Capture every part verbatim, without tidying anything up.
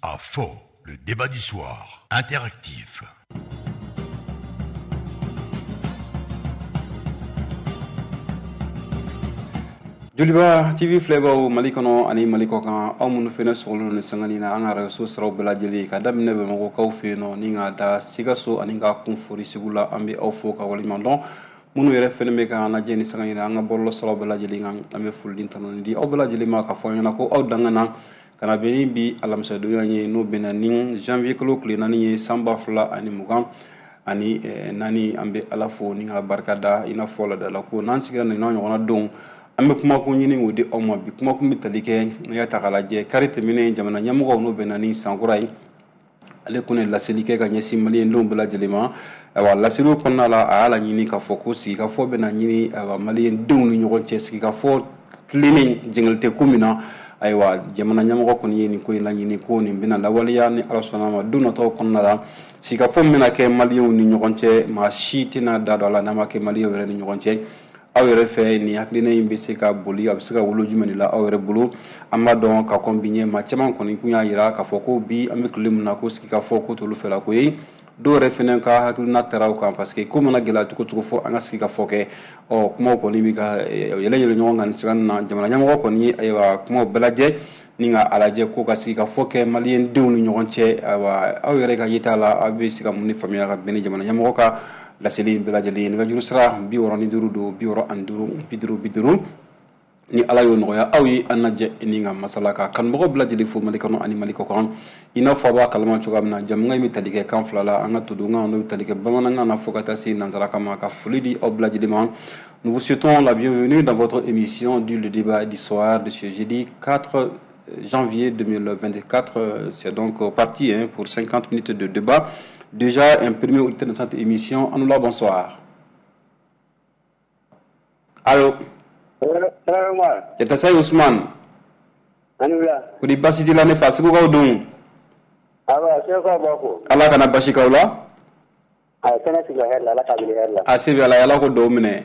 À fond, le débat du soir, interactif. Joliba T V filɛbaaw Mali kɔnɔ ani Mali kɔ kan, aw minnu fɛnɛ sɔgɔlen don sanga nin na an ka radio siraw bɛɛ lajɛlen ka daminɛ Bamakɔkaw fɛ yen nɔ ni ka da Sikaso ani ka kun fori Segu la, an bɛ aw fo ka waleɲuman dɔn. Minnu yɛrɛ fɛnɛ bɛ k'an lajɛ ni sanga in na an ka bɔlɔlɔ siraw bɛɛ lajɛlen kan, an bɛ foli ni tanuni di aw bɛɛ lajɛlen ma k'a fɔ aw ɲɛna ko aw dangana ka na bɛn ni bi alamisadonya ye, n'o bɛnna ni janvier kalo tile naani ye san ba fila ani mugan ani naani. An bɛ Ala fo ni ka barika da i n'a fɔ laadala ko n'an sigira nin n'a ɲɔgɔnna don, an bɛ kumakun ɲini k'o di aw ma. Bi kumakun bɛ tali kɛ n'i y'a ta k'a lajɛ kari tɛmɛnen jamana ɲɛmɔgɔw n'o bɛnna ni sankura ye, ale kun ye laseli kɛ ka ɲɛsin maliyɛndenw bɛɛ lajɛlen ma. Ayiwa, laseliw kɔnɔna la a y'a laɲini k'a fɔ ko sigikafɔ bɛna ɲini ayiwa maliyɛndenw ni ɲɔgɔn cɛ, sigikafɔ tilennen jɛngɛli tɛ ko min na. Ayiwa, jamana ɲɛmɔgɔ kɔni ye nin ko in laɲini ko nin bɛna lawaleya ni Ala sɔnna ma don nataw kɔnɔna la. Sigikafɔ min bɛna kɛ maliyɛnw ni ɲɔgɔn cɛ, maa si tɛna da don a la n'a ma kɛ maliyɛnw yɛrɛ ni ɲɔgɔn cɛ. Aw yɛrɛ fɛ nin hakilina in bɛ se ka boli, a bɛ se ka wolo jumɛn de la aw yɛrɛ bolo? An b'a dɔn ka kɔn bi ɲɛ, maa caman kɔni kun y'a jira k'a fɔ ko bi an bɛ tile min na ko sigikafɔ ko t'olu fɛla ko ye. Dɔw yɛrɛ fɛnɛ ka hakilina taara o kan parce que ko mana gɛlɛya cogo cogo fo an ka sigikafɔ kɛ. Ɔ kumaw kɔni bɛ ka yɛlɛ yɛlɛ ɲɔgɔn kan nin sira in na. Jamana ɲɛmɔgɔ kɔni ye ayiwa kumaw bɛɛ lajɛ ni ka a lajɛ ko ka sigikafɔ kɛ maliyɛndenw ni ɲɔgɔn cɛ. Ayiwa, aw yɛrɛ ka yeta la, aw bɛ se ka mun de faamuya ka bɛn ni jamana ɲɛmɔgɔ ka laseli in bɛɛ lajɛlen ye? Nɛgɛjuru sira bi wɔɔrɔ ni duuru don, bi wɔɔrɔ ani duuru, bi duuru bi duuru. Ni Ala y'o nɔgɔya aw ye, an lajɛ ni ka masala ka kanubagaw bɛɛ lajɛlen fo Mali kɔnɔ ani Mali kɔ kan. I n'a fɔ a b'a kalama cogoya min na, jamukan in bɛ tali kɛ kan fila la, an ka todunkan n'o bɛ tali kɛ bamanankan na fo ka taa se nansarakan ma. Ka foli di aw bɛɛ lajɛlen ma. Nous vous souhaitons la bienvenue dans votre émission du Le Débat du soir de ce jeudi quatre janvier deux mille vingt-quatre. C'est donc parti, hein, pour cinquante minutes de débat. Déjà un premier auditeur de cette émission. Anoula, bonsoir. Allô? Cɛtasayi Ousmane. Anoula. Kodi basi t'i la ne fa, Segukaw dun? Awa, Segukaw b'a fo. Ala kana basi k'aw la. A kɛnɛ sigi hɛrɛ la, Ala k'a wuli hɛrɛ la. A se bɛ Ala ye, Ala ko dɔw minɛ.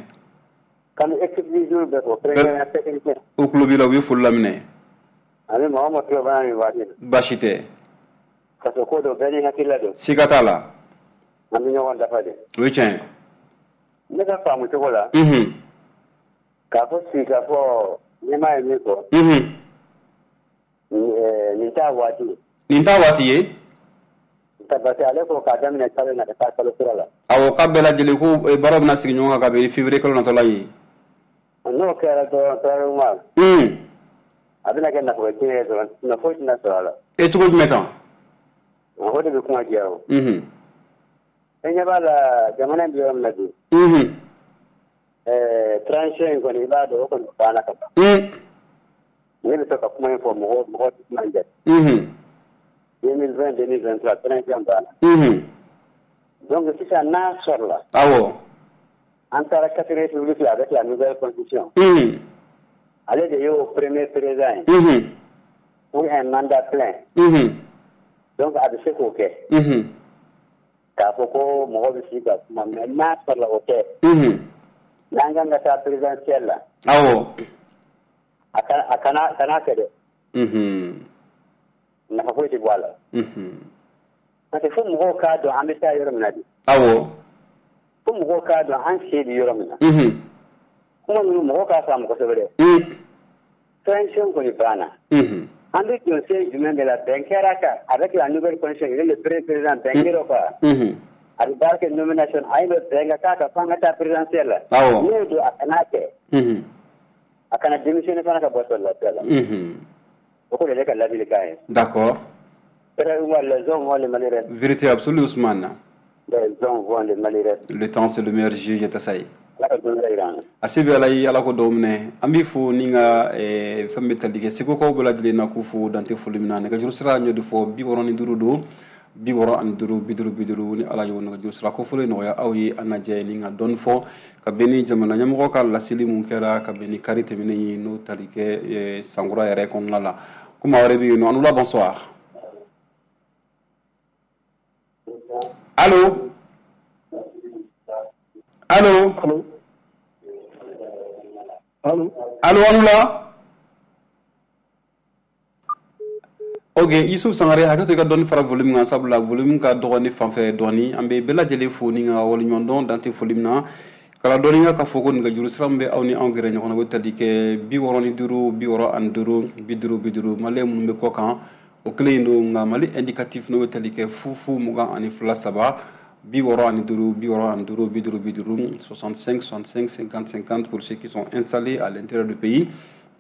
K'an bɛ équipe du jour bɛɛ fo, kɛrɛnkɛrɛnnenya technicien. U tulo b'i la, u bɛ foli laminɛ. Ani maa o maa tulo b'an na nin waati in na. Basi tɛ. Parce que ko dɔ bɛɛ n'i hakilila don. Siga t'a la. An bɛ ɲɔgɔn dafa de. O ye tiɲɛ ye. Ne ka faamu cogo la. Unhun. K'a fɔ sigikafɔ ɲɛmaa ye min fɔ. Unhun. Nin t'a waati ye. Nin t'a waati ye? Parce que ale ko k'a daminɛ kalo in na ka taa kalo kura la. Awɔ, k'a bɛɛ lajɛlen ko baaraw bɛna sigi ɲɔgɔn kan ka bɛn février kalo natɔ la ye. N'o kɛra dɔrɔn Tarawele. Un. A bɛna kɛ nafolo tiɲɛ ye dɔrɔn, nafa foyi tɛna sɔrɔ a la. E cogo jumɛn tan? O de bɛ kuma diya o. Unhun. E ɲɛ b'a la jamana in bɛ yɔrɔ min na bi. Unhun. Ɛɛ transition in kɔni i b'a dɔn o kɔni banna ka ban. Un. Ne bɛ fɛ ka kuma in fɔ mɔgɔ mɔgɔ tɛ kuma in jate. Unhun. deux mille vingt deux mille vingt-trois transition banna. Unhun. Donc sisan n'a sɔrɔla. Awɔ. An taara quatrième république la avec la nouvelle constitution. Unhun. Ale de y'o premier président ye. Unhun. Pour un mandat plein. Unhun. Donc a bɛ se k'o kɛ. Unhun. K'a fɔ ko mɔgɔ bɛ sigi ka kuma mais n'a sɔrɔla o kɛ. Unhun. N'an kan ka taa présidentielle la. Awɔ. A kana a kana kana kɛ dɛ. Unhun. Nafa foyi tɛ bɔ a la. Unhun. Parce que fo mɔgɔw k'a dɔn an bɛ taa yɔrɔ min na de. Awɔ. Fo mɔgɔw k'a dɔn an sen bɛ yɔrɔ min na. Unhun. Kuma ninnu mɔgɔw k'a faamu kosɛbɛ dɛ. Un. Transition kɔni banna. Unhun. An bɛ don sen jumɛn de la, bɛn kɛra kan avec la nouvelle constitution, il est le premier président, bɛn kɛra o kan. Unhun. A bɛ baara kɛ nomination, a ye bɛn ka k'a kan f'an ka taa présidentielle la. Awɔ. N'o don a kana kɛ. Unhun. A kana démissionner fana ka bɔ sɔrɔdasiya la. Unhun. O ko de ye ne ka ladilikan ye. D'accord. Les hommes vont le malheureux. Vérité absolue, Ousmane. Les hommes vont le malheureux. Le temps, c'est le meilleur juge, Tasayi. Ala ka don wɛrɛ yira an na. A se bɛ Ala ye, Ala ko dɔw minɛ. An b'i fo ni ka fɛn bɛ tali kɛ Segukaw bɛɛ lajɛlen na k'u fo dante foli min na. Nɛgɛjuru sira n y'o de fɔ, bi wɔɔrɔ ni duuru don, bi wɔɔrɔ ani duuru, bi duuru bi duuru. Ni Ala y'o nɛgɛjuru sira ko fɔlɔ nɔgɔya aw ye, an lajɛ ni ka dɔɔni fɔ ka bɛn ni jamana ɲɛmɔgɔ ka laseli mun kɛra ka bɛn ni kari tɛmɛnen ye, n'o tali kɛ sankura yɛrɛ kɔnɔna la. Ko maa wɛrɛ bɛ yen nɔ. Anoula, bonsoir. Allô? Allô? Allô? Allô? Allô, Anoula? Ok, Yusuf Sangare, hakɛ to i ka dɔɔni fara volume kan, sabula volume ka dɔgɔ ne fan fɛ dɔɔni. An bɛ bɛɛ lajɛlen fo ni ka waleɲuman dɔn dan tɛ foli min na. Kala dɔnniya k'a fɔ ko nɛgɛjuru sira min bɛ aw ni anw gɛrɛ ɲɔgɔn na, o bɛ tali kɛ bi wɔɔrɔ ni duuru bi wɔɔrɔ ani duuru bi duuru bi duuru. Maliyɛn minnu bɛ kɔ kan, o kelen in don, nka Mali indicatif n'o bɛ tali kɛ fu fu mugan ani fila saba bi wɔɔrɔ ani duuru bi wɔɔrɔ ani duuru bi duuru bi duuru, soixante-cinq soixante-cinq cinquante cinquante pour ceux qui sont installés à l'intérieur du pays.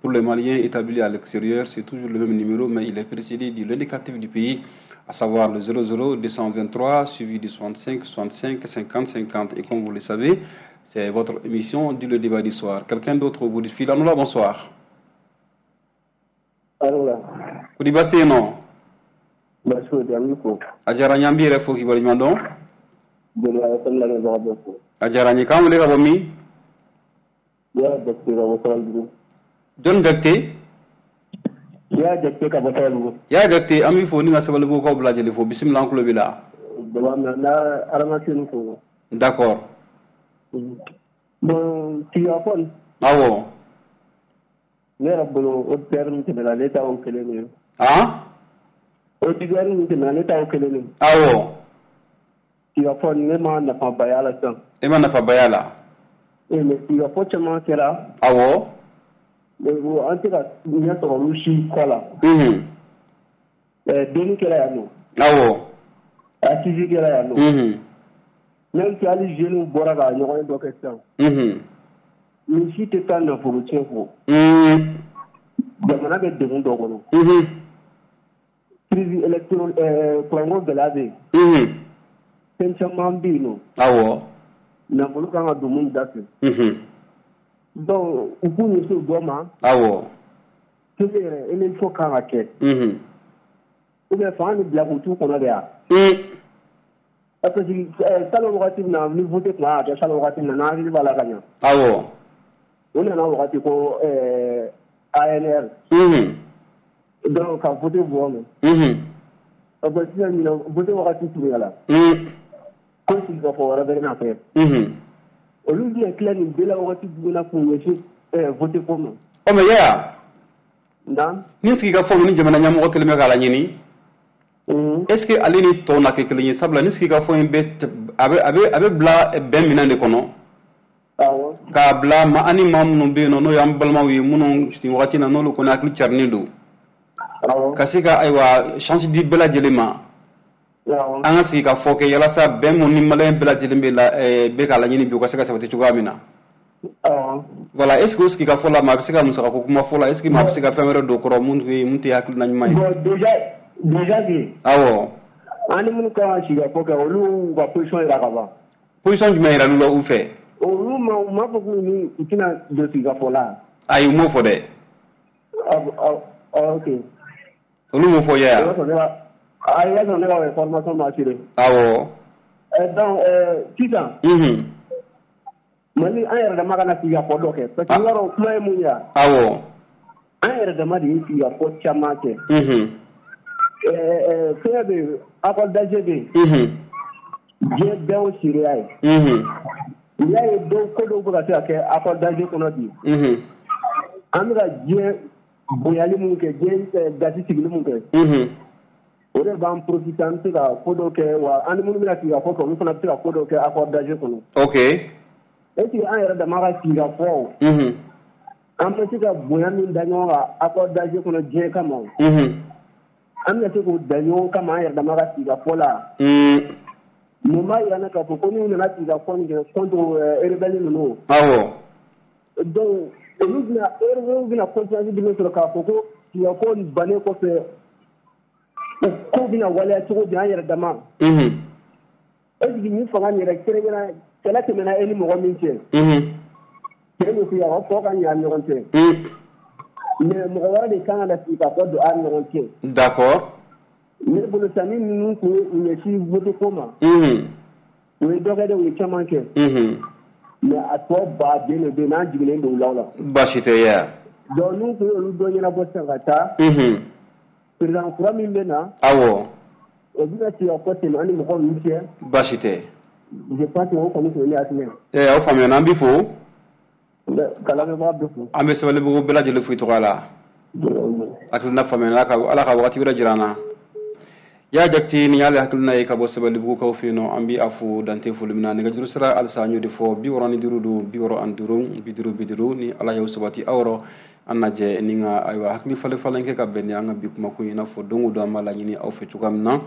Pour les Maliens établis à l'extérieur, c'est toujours le même numéro, mais il est précédé de l'indicatif du pays, à savoir le zéro zéro deux cent vingt-trois suivi du soixante-cinq soixante-cinq cinquante cinquante. Et comme vous le savez, c'est votre émission du Le Débat du soir. Quelqu'un d'autre au bout du fil. Anoula, bonsoir. Allo. Kodi baasi yen nɔ? Baasi foyi tɛ, an b'i fo. A diyara n ye, an b'i yɛrɛ fo k'i waleɲuman dɔn. Joliba F M lamɛnbaga bɛɛ fo. A diyara n ye. K'an wele ka bɔ min? Y'a Jakite ka bɔ Sabalibugu. Jɔnni Jakite? Y'a Jakite ka bɔ Sabalibugu. Y'a Jakite, an b'i fo ni ka Sabalibugukaw bɛɛ lajɛlen fo. Bisimila, an tulo b'i la. Jaba min na Adamaden fo. D'accord. Bon, sigikafɔ nin. Awɔ. Ne yɛrɛ bolo, auditeur min tɛmɛna, ne ta y'o kelen de ye. Han? Auditeur min tɛmɛna, ne ta y'o kelen de ye. Awɔ. Sigikafɔ nin, ne ma nafaba y'a la sisan. E ma nafaba y'a la? Ee, mais sigikafɔ caman kɛra. Awɔ. Mais an tɛ ka ɲɛ sɔrɔ olu si kɔ la. Unhun. Ɛɛ, donni kɛra yan nɔ. Awɔ. Assise kɛra yan nɔ. Unhun. Même si hali jeunes bɔra ka ɲɔgɔn ye dɔ kɛ sisan. Unhun. Nin si tɛ taa nafolo tiɲɛ kɔ. Un. Jamana bɛ degun dɔ kɔnɔ. Unhun. Crise électro ɛɛ kuranko gɛlɛya bɛ yen. Unhun. Fɛn caman bɛ yen nɔ. Awɔ. Nafolo kan ka don mun da fɛ. Unhun. Donc u k'u ɲɛsin o dɔ ma. Awɔ. Kelen yɛrɛ, élection kan ka kɛ. Unhun. Ou bien fanga bɛ bila k'u t'u kɔnɔ de wa? Un. Parce que ɛɛ salon wagati min na, ni vote tun kan ka kɛ salon wagati min na, n'an hakili b'a la ka ɲɛ. Awɔ. O nana wagati ko ɛɛ A N R. Unhun. Donc ka vote bɔ mɛn. Unhun. Bon, sisan ɲinan vote wagati surunyala. Un. Ko sigikafɔ wɛrɛ bɛ na kɛ. Unhun. Olu bɛna tila nin bɛɛ la wagati jumɛn na k'u ɲɛsin ɛɛ vote ko ma? Ɔ, mais Yaya. Nka. Ni sigikafɔ ni jamana ɲɛmɔgɔ kɛlen bɛ k'a laɲini, est ce que ale ni tɔw na kɛ kelen ye? Sabula ni sigikafɔ in bɛ a bɛ a bɛ a bɛ bila bɛn minɛn de kɔnɔ. Awɔ. K'a bila ma ani maa minnu bɛ yen nɔ, n'o y'an balimaw ye, minnu nin wagati na n'olu kɔni hakili carinen don. Awɔ. Ka se ka ayiwa chance di bɛɛ lajɛlen ma. Awɔ. An ka sigi ka fɔ kɛ yalasa bɛn mun ni maliyɛn bɛɛ lajɛlen bɛ la ɛɛ bɛ k'a laɲini bi, o ka se ka sabati cogoya min na. Awɔ. Voilà, est ce que o sigi ka fɔ la, maa bɛ se ka musakako kuma fɔ la? Est ce que maa bɛ se ka fɛn wɛrɛ don o kɔrɔ mun tɛ mun tɛ hakilina ɲuman ye? Bon, déjà déjà que. Awɔ. An ni minnu kan ka sigikafɔ kɛ, olu y'u ka position yira ka ban. Position jumɛn yira l'u la u fɛ? Olu ma u m'a fɔ k'u ni u tɛna don sigikafɔ la. Ayi, u m'o fɔ dɛ. Ah, ok. Olu m'o fɔ Yaya. O y'a sɔrɔ ne ka ayi, i y'a sɔrɔ ne ka information ma assuré. Awɔ. Euh, donc euh, sisan. Unhun. Mali, an yɛrɛ dama kana sigikafɔ dɔ kɛ, parce que i b'a dɔn kuma ye mun ye wa? Awɔ. An yɛrɛ dama de ye sigikafɔ caman kɛ. Unhun. Ɛɛ fɛngɛ bɛ yen, accord d'Alger bɛ yen. Unhun. Diɲɛ bɛɛ y'o seereya ye. Unhun. N'i y'a ye dɔw ko dɔw bɛ ka se ka kɛ accord d'Alger kɔnɔ bi. Unhun. An bɛ ka diɲɛ bonyali mun kɛ, diɲɛ gasi sigili mun kɛ. Unhun. O de b'an profiter, an bɛ se ka ko dɔw kɛ wa an ni minnu bɛna sigikafɔ kɛ, olu fana bɛ se ka ko dɔw kɛ accord d'Alger kɔnɔ. Ok. Est ce que an yɛrɛ dama ka sigikafɔ, Unhun. an bɛ se ka bonya min da ɲɔgɔn kan accord d'Alger kɔnɔ diɲɛ kama, Unhun. an bɛna se k'o da ɲɔgɔn kama an yɛrɛ dama ka sigikafɔ la? Un. Mun b'a yira n na k'a fɔ ko n'u nana sigikafɔ nin kɛ contre rebelle ninnu, Awɔ. donc olu bɛna rebelle bɛna confiance jumɛn sɔrɔ k'a fɔ ko sigikafɔ nin bannen kɔfɛ, o ko bɛna waleya cogo di an yɛrɛ dama? Unhun. Est ce que nin fanga nin yɛrɛ kɛrɛnkɛrɛn, kɛlɛ tɛmɛna e ni mɔgɔ min cɛ, Unhun. cɛ ni f'i a ka fɔ ka ɲɛ an ni ɲɔgɔn cɛ, Un. mais mɔgɔ wɛrɛ de kan ka na sigikafɔ don an ni ɲɔgɔn cɛ? D'accord. Ne bolo sisan, ni ninnu tun ye u ɲɛsin vote ko ma, Unhun. u ye dɔ kɛ dɛ, u ye caman kɛ, Unhun. mais a tɔ baden de bɛ yen n'an jiginnen don u la o la. Baasi tɛ Yaya. Donc n'u tun ye olu dɔ ɲɛnabɔ sisan ka taa, Unhun. président kura min bɛ na, Awɔ. o bɛna sigikafɔ tɛmɛ an ni mɔgɔw ninnu cɛ. Baasi tɛ. Je pense que o kɔni tun ye ne hakilina ye. Ɛɛ aw faamuyana, an b'i fo. Ka lamɛnbaga bɛɛ fo. An bɛ Sabalibugu bɛɛ lajɛlen fo i tɔgɔ la. Hakilina faamuya, Ala ka wagati wɛrɛ jira an na. Y'a jate ni y'ale hakilina ye ka bɔ Sabalibugukaw fɛ yen nɔ, an bɛ a fo dante foli min na. Nɛgɛjuru sira halisa an y'o de fɔ, bi wɔɔrɔ ni duuru don, bi wɔɔrɔ ani duuru, bi duuru bi duuru. Ni Ala y'o sabati aw yɔrɔ, an najɛ ni ka ayiwa hakili falen falen kɛ ka bɛn ni an ka bi kumakun ye, i n'a fɔ don o don an b'a laɲini aw fɛ cogoya min na.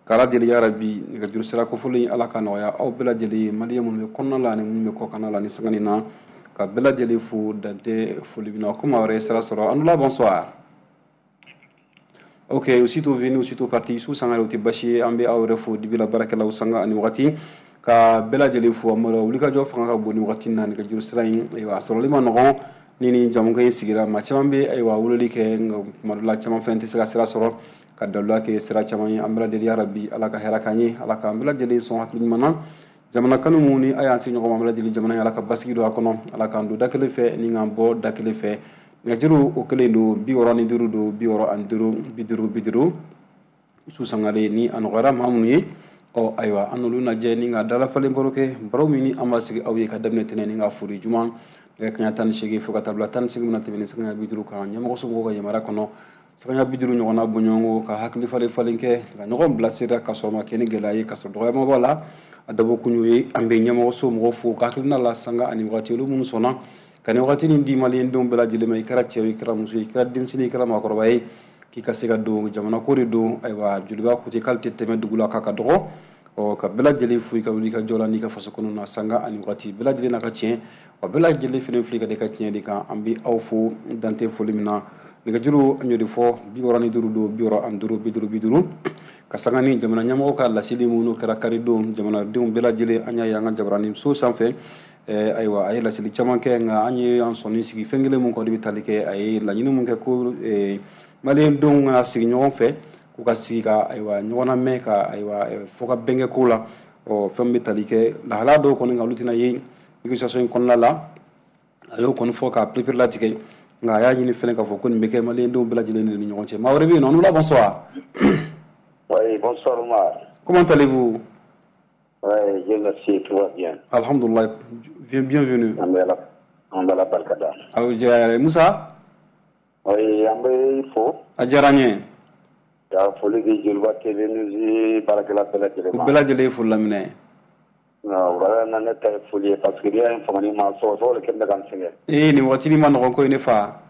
K'Ala deli yarabi, nɛgɛjuru sira kofɔlen Ala ka nɔgɔya aw bɛɛ lajɛlen ye, maliyɛn minnu bɛ kɔnɔna la ani minnu bɛ kɔkanna la ni sangani na, ka bɛɛ lajɛlen fo dante foli min na. Komi aw yɛrɛ ye sira sɔrɔ, an bonsoir. Ok, aussitôt venu, aussitôt parti, su sanga o tɛ basi ye. An bɛ aw yɛrɛ fo dibila baarakɛlaw sanga ani wagati, ka bɛɛ lajɛlen fo. An b'a wulikajɔ fanga ka bon ni wagati na. Nɛgɛjuru sira in, ayiwa, a sɔrɔli ma nɔgɔn ni ni jamukan in sigira. Maa caman bɛ, ayiwa, weleli kɛ, nka kuma dɔ la caman fɛnɛ tɛ se ka sira sɔrɔ ka daluya kɛ sira caman ye. An bɛɛ lajɛlen, yarabi Ala ka hɛrɛ k'an ye, Ala k'an bɛɛ lajɛlen sɔn hakili ɲuman na. Jamana kanu mun ni a y'an se ɲɔgɔn ma, an bɛɛ lajɛlen jamana in, Ala ka basigi don a kɔnɔ, Ala k'an don da kelen fɛ ni k'an bɔ da kelen fɛ. Nɛgɛjuru o kelen don, bi wɔɔrɔ ni duuru don, bi wɔɔrɔ ani duuru, bi duuru bi duuru. Su sangare ni a nɔgɔyara maa minnu ye, ɔ ayiwa, an n'olu lajɛ ni ka dalafalen baro kɛ, baro min ni an b'a sigi aw ye ka daminɛ tɛnɛn ni ka foli juma nɛgɛ kaɲa tan ni seegin fo ka taa bila tan ni seegin mina tɛmɛ ni sanga bi duuru kan. Ɲɛmɔgɔ somɔgɔw ka yamaruya kɔnɔ, sanga bi duuru ɲɔgɔnna bɔɲɔgɔnko ka hakili falen falen kɛ, ka ɲɔgɔn bilasira, ka sɔrɔ ma kɛ ni gɛlɛya ye, ka sɔrɔ dɔgɔyama b'a la. A dabɔ kun y'o ye. An bɛ ɲɛmɔgɔso mɔgɔw fo ka hakilina la sanga ani wagati, olu minnu sɔnna ka nin wagati nin di maliyɛndenw bɛɛ lajɛlen ma. I kɛra cɛ ye, i kɛra muso ye, i kɛra denmisɛnnin ye, i kɛra maakɔrɔba ye, k'i ka se ka don jamana ko de don. Ayiwa, Joliba ko ten k'ale tɛ tɛmɛ dugu la k'a ka dɔgɔ. Ɔ ka bɛɛ lajɛlen fo i ka wuli ka jɔ la n'i ka faso kɔnɔ na sanga ani wagati bɛɛ lajɛlen n'a ka tiɲɛ wa bɛɛ lajɛlen fɛnɛ fili ka da i ka tiɲɛ de kan. An bɛ aw fo dante foli min na. Nɛgɛjuru an y'o de fɔ, bi wɔɔrɔ ni duuru don, bi wɔɔrɔ ani duuru, bi duuru bi duuru. Ka sanga ni jamana ɲɛmɔgɔ ka laseli minnu kɛra karidon, jamanadenw bɛɛ lajɛlen an y'a ye an ka jabaranin so sanfɛ. Ayiwa, a ye laseli caman kɛ, nka an ye an sɔnni sigi fɛn kelen mun kɔni bɛ tali kɛ, a ye laɲini mun kɛ ko maliyɛndenw kana sigi ɲɔgɔn fɛ, k'u ka sigi ka ayiwa ɲɔgɔn lamɛn, ka ayiwa fɔ ka bɛn kɛ ko la. Ɔ fɛn bɛ tali kɛ lahalaya dɔw kɔni kan, olu tɛna ye négociation in kɔnɔna la. A y'o kɔni fɔ k'a perepere latigɛ, nka a y'a ɲini fɛnɛ k'a fɔ ko nin bɛ kɛ maliyɛndenw bɛɛ lajɛlen de ni ɲɔgɔn cɛ. Maa wɛrɛ bɛ yen nɔ, an bonsoir. Oui, bonsoir Omar. Comment allez-vous? Oui, Dieu merci, tout va bien. Alhamdulillah, bienvenue. An bɛ Ala an bɛ Ala barika da. Aw diyara Musa? Oui, an bɛ i fo. A diyara n ye. Ka foli di Joliba T V News baarakɛla bɛɛ lajɛlen ma. U bɛɛ lajɛlen ye foli laminɛ. Wulada in na ne ta ye foli ye parce que n'i y'a ye famani ma sɔgɔsɔgɔ de kɛ bɛ ka n sɛgɛn. Ee, nin waati ma nɔgɔn ko ye ne fa.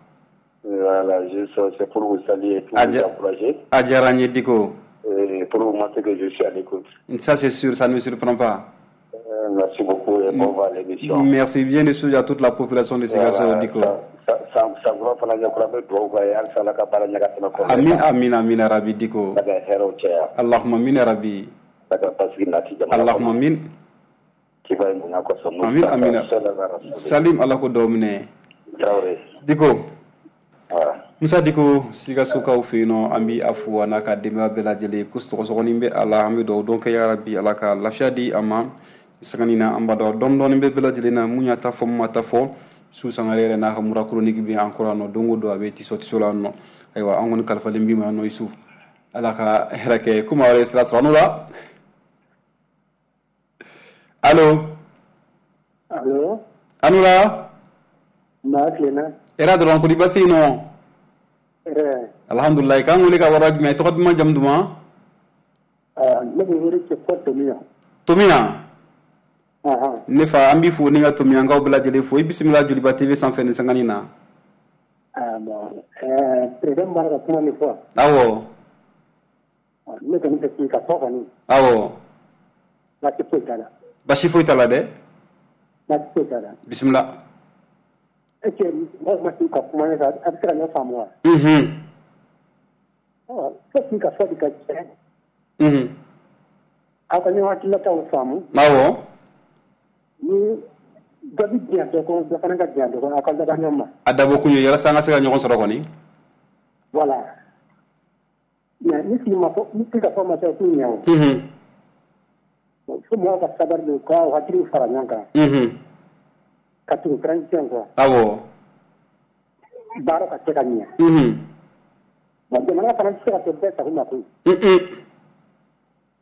Voilà, juste c'est pour vous saluer et pour vous encourager. A diyara n ye Diko. Et pour vous montrer que je suis à l'écoute. Ça c'est sûr, ça ne me surprend pas. Euh, merci beaucoup et bon vent à l'émission. Merci bien sûr à toute la population de Sikasso, Voilà, Diko. Sankura fana ɲɛkura an bɛ dugawu k'a ye halisa Ala ka baara ɲɛ ka tɛmɛ kɔrɔlen Amin kan. Amin amin ya Rabbi Diko. Ala ka hɛrɛw caya. Allahumma amin ya Rabbi. Ala ka basigi nati jamana Allahumma kɔnɔ. amin. Kiba ye bonya kosɔn. Amin amin. Sallallahu alaihi wasallam. Salim Ala ko dɔw minɛ. Traoré. Diko. Voilà. Musa Diko, Sikasokaw fɛ yen nɔ, an bɛ a fo a n'a ka denbaya bɛɛ lajɛlen ko sɔgɔsɔgɔni bɛ a la. An bɛ dugawu don kɛ yarabi Ala ka lafiya di a ma sangani na. An b'a dɔn dɔɔni dɔɔni bɛ bɛɛ lajɛlen na, mun y'a ta fɔ, mun ma ta fɔ. Su sangare yɛrɛ n'a ka mura chronique bɛ an kɔrɔ yan nɔ, don o don a bɛ tiso tiso la yan nɔ. Ayiwa, an kɔni kalifalen b'i ma yan nɔ Isu, Ala ka hɛrɛ kɛ. Komi aw yɛrɛ ye sira sɔrɔ, an n'o la. Allo? Allo? An n'o la. Maa tilenna. Hɛrɛ dɔrɔn, kodi basi yen nɔ? Hɛrɛ. Alhamdulilayi. K'an wele ka wara jumɛn, tɔgɔ duman, jamu duman? Ne bɛ wele kɛ fɔ Tomiya. Tomiya? Ahan. Ne fa, an b'i fo ni ka Tomiyankaw bɛɛ lajɛlen fo. I bisimila Joliba T V sanfɛ ni sangani na. Ah bon, ɛɛ président bɔra ka kuma min fɔ. Awɔ. Ne kɔni fɛ k'i ka fɔ kɔni. Awɔ. Baasi foyi t'a la. Basi foyi t'a la dɛ. Baasi foyi t'a la. Bisimila. Est ce que mɔgɔw ma sigi ka kuma ne fɛ, a bɛ se ka ɲɔ faamu wa? Mhm. Ɔ fo k'i ka fɔ de ka tiɲɛ. Mhm. Aw ka ɲɔgɔn hakilinataw faamu. Awɔ. Ni dɔ bɛ diɲɛ dɔ kɔnɔ, dɔ fana ka diɲɛ dɔ kɔnɔ, aw ka laban ɲɔgɔn ma. A dabɔ kun ye walasa an ka se ka ɲɔgɔn sɔrɔ kɔni. Voilà. Mais ni sigi ma fɔ, ni sigi ka fɔ ma kɛ, o t'u ɲɛ o. Mhm. Fo mɔgɔw ka sabali de, k'aw hakiliw fara ɲɔgɔn kan. Mhm. Ka tugu transition kɔ. Awɔ. Baara ka se ka ɲɛ. Mhm. Bon, jamana fana tɛ se ka kɛ bɛɛ sago ma koyi. Mhm.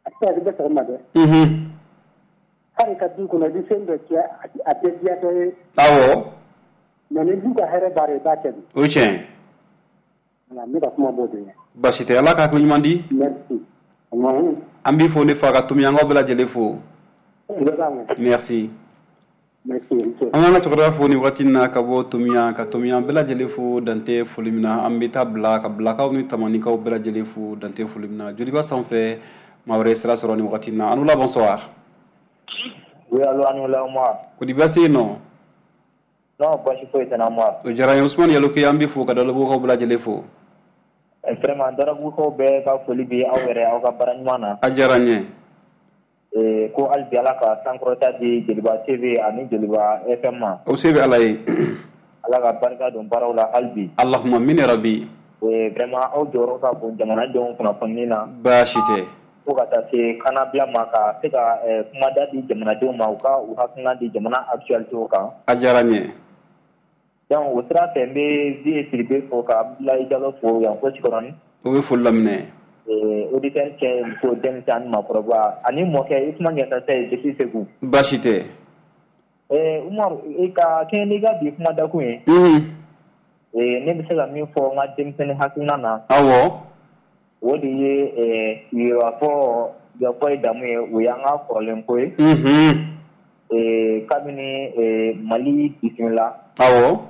A tɛ se ka kɛ bɛɛ sago ma dɛ. Mhm. Hali ka du kɔnɔ, i bɛ fɛn dɔ kɛ, a tɛ diya dɔ ye. Awɔ. Mais ni du ka hɛrɛ b'a la, i b'a kɛ de. O ye tiɲɛ ye. Voilà, ne ka kuma b'o de ye. Baasi tɛ, Ala ka hakili ɲuman di. Merci. An b'i fo ne fa ka Tomiyankaw bɛɛ lajɛlen fo. Merci. An ka cɛkɔrɔba fo ni waati na ka bɔ Tomiyan, ka Tomiyan bɛɛ lajɛlen fo dante foli min na. An bɛ taa bila ka bilakaw ni tamanikaw bɛɛ lajɛlen fo dante foli min na. Joliba sanfɛ, maa wɛrɛ sira sɔrɔ ni waati na. Anula, bonsoir. Oui, allo, Anula Umar. Ko di, baasi yen nɔ? Non, baasi foyi tɛ n na, Umar. O diyara n ye. Usumani Yaloke, an b'i fo ka Dalabugukaw bɛɛ lajɛlen fo. Vraiment, Dalabugukaw bɛɛ ka foli bɛ aw yɛrɛ, aw ka baara ɲuman na. A diyara n ye. Ko hali bi Ala ka sankɔrɔta di Joliba T V ani Joliba F M ma. O se bɛ Ala ye. Ala ka barika don baaraw la hali bi. Allahumma min rabi. Vraiment, aw jɔyɔrɔ ka bon jamanadenw kunnafoni na. Baasi tɛ. Fo ka taa se kannabila ma, ka se ka kumada di jamanadenw ma, u ka u hakilina di jamana actualité kan. A diyara n ye. Donc o sira fɛ, n bɛ Vieux Sidibe fo ka Abdoulaye Diallo fo yan fo Sikɔrɔni. O bɛ foli laminɛ. Auditeur cɛ, muso, denmisɛn ani maakɔrɔba ani mɔkɛ Usumani Yatasa depuis Segu. Baasi tɛ. Umaru, i ka kɛɲɛ n'i ka bi kuma dakun ye. Ne bɛ se ka min fɔ n ka denmisɛnnin hakilina na. Awɔ. O de ye yɛrɛfɔ yɛrɛfɔ ye damu ye, o y'an ka kɔrɔlen ko ye. Kabini Mali bisimila. Awɔ.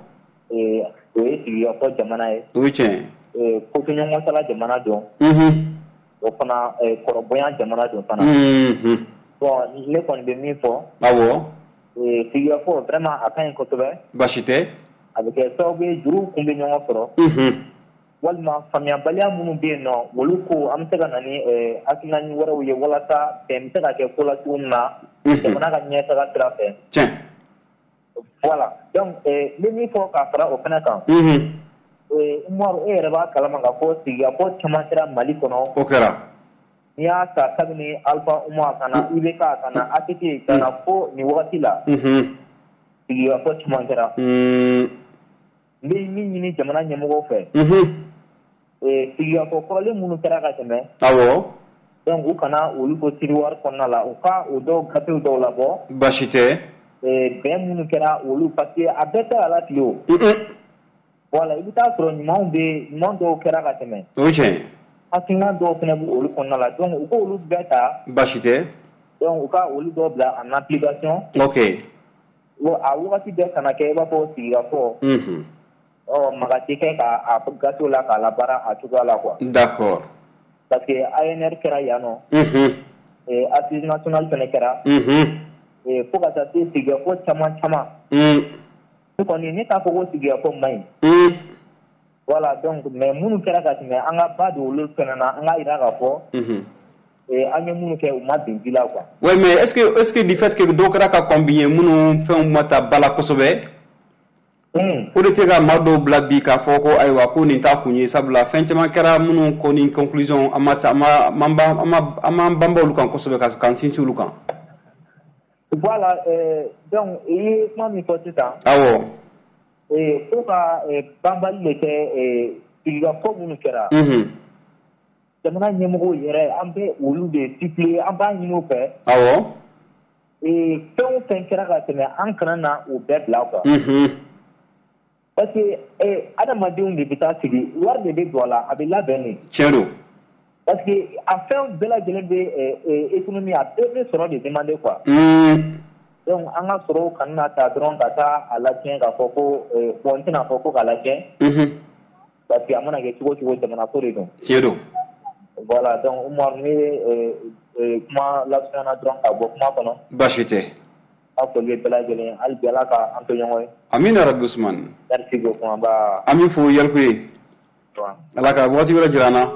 O ye sigikafɔ jamana ye. O ye tiɲɛ ye. Kotoɲɔgɔnsala jamana don. O fana kɔrɔbonya jamana don fana. Bon, ne kɔni bɛ min fɔ. Awɔ. Sigikafɔ, vraiment, a ka ɲi kosɛbɛ. Baasi tɛ. A bɛ kɛ sababu ye juruw kun bɛ ɲɔgɔn sɔrɔ. Walima faamuyabaliya minnu bɛ yen nɔ, olu ko an bɛ se ka na ni hakilina wɛrɛw ye walasa bɛn bɛ se ka kɛ ko la cogo min na, jamana ka ɲɛtaga sira fɛ. Tiɲɛ. Voilà, donc n bɛ min fɔ ka fara o fana kan. Umaru, e yɛrɛ b'a kalama k'a fɔ sigikafɔ caman kɛra Mali kɔnɔ. O kɛra. N'i y'a ta kabini Alpha Umar ka na I B K ka na A T T ka na fo nin wagati la. Sigikafɔ caman kɛra. N bɛ min ɲini jamana ɲɛmɔgɔw fɛ. Sigikafɔ kɔrɔlen minnu kɛra ka tɛmɛ. Awɔ. Donc u kana olu to tiroir kɔnɔna la, u ka o dɔw gafew dɔw labɔ. Baasi tɛ. Bɛn minnu kɛra olu, parce que a bɛɛ tɛ ala tile o. Voilà, i bɛ taa sɔrɔ ɲumanw bɛ, ɲuman dɔw kɛra ka tɛmɛ. O ye tiɲɛ ye. Hakilina dɔw fana b'o olu kɔnɔna la, donc u k'olu bɛɛ ta. Baasi tɛ. Donc u ka olu dɔw bila en application. Ok. A wagati bɛɛ kana kɛ i b'a fɔ sigikafɔ. Ɔ maga tɛ kɛ k'a gafew la k'a labaara a cogoya la quoi. D'accord. Parce que A N R kɛra yan nɔ. Assise nationale fana kɛra. Fo ka taa se sigikafɔ caman caman. Ne kɔni, ne t'a fɔ ko sigikafɔ man ɲi. Voilà, donc mais minnu kɛra ka tɛmɛ, an ka ba don olu fana na, an k'a jira k'a fɔ an ye minnu kɛ, u ma bin ji la quoi. Oui, mais est-ce que est-ce que du fait que dɔw kɛra ka kɔn bi ɲɛ, minnu fɛnw ma ta ba la kosɛbɛ, o de tɛ ka maa dɔw bila bi k'a fɔ ko ayiwa, ko nin t'a kun ye, sabula fɛn caman kɛra minnu ko ni conclusion an ma ta, an ma an m'an banba olu kan kosɛbɛ, ka k'an sinsin olu kan. Voilà, euh, donc i ye kuma min fɔ sisan. Awɔ. Fo ka banbali de kɛ sigikafɔ minnu kɛra. Jamana ɲɛmɔgɔw yɛrɛ, an bɛ olu de supplier, an b'a ɲini u fɛ. Awɔ. Fɛn o fɛn kɛra ka tɛmɛ, an kana na o bɛɛ bila quoi. Parce que adamadenw de bɛ taa sigi, wari de bɛ don a la, a bɛ labɛn de. Tiɲɛ don. Parce que a fɛn bɛɛ lajɛlen bɛ économie, a bɛɛ bɛ sɔrɔ de demander quoi. Donc an ka sɔrɔw kana na ta dɔrɔn ka taa a latiɲɛ k'a fɔ ko bon, n tɛna fɔ ko k'a latiɲɛ. Parce que a mana kɛ cogo o cogo, jamana ko de don. Tiɲɛ don. Voilà, donc Umaru, ne ye kuma lasurunya dɔrɔn ka bɔ kuma kɔnɔ. Baasi tɛ. Aw foli bɛ bɛɛ lajɛlen, hali bi Ala ka an to ɲɔgɔn ye. Amina rabi Usumani. Merci beaucoup, an ba. An b'i fo Yalikuye. Ala ka waati wɛrɛ jira an na.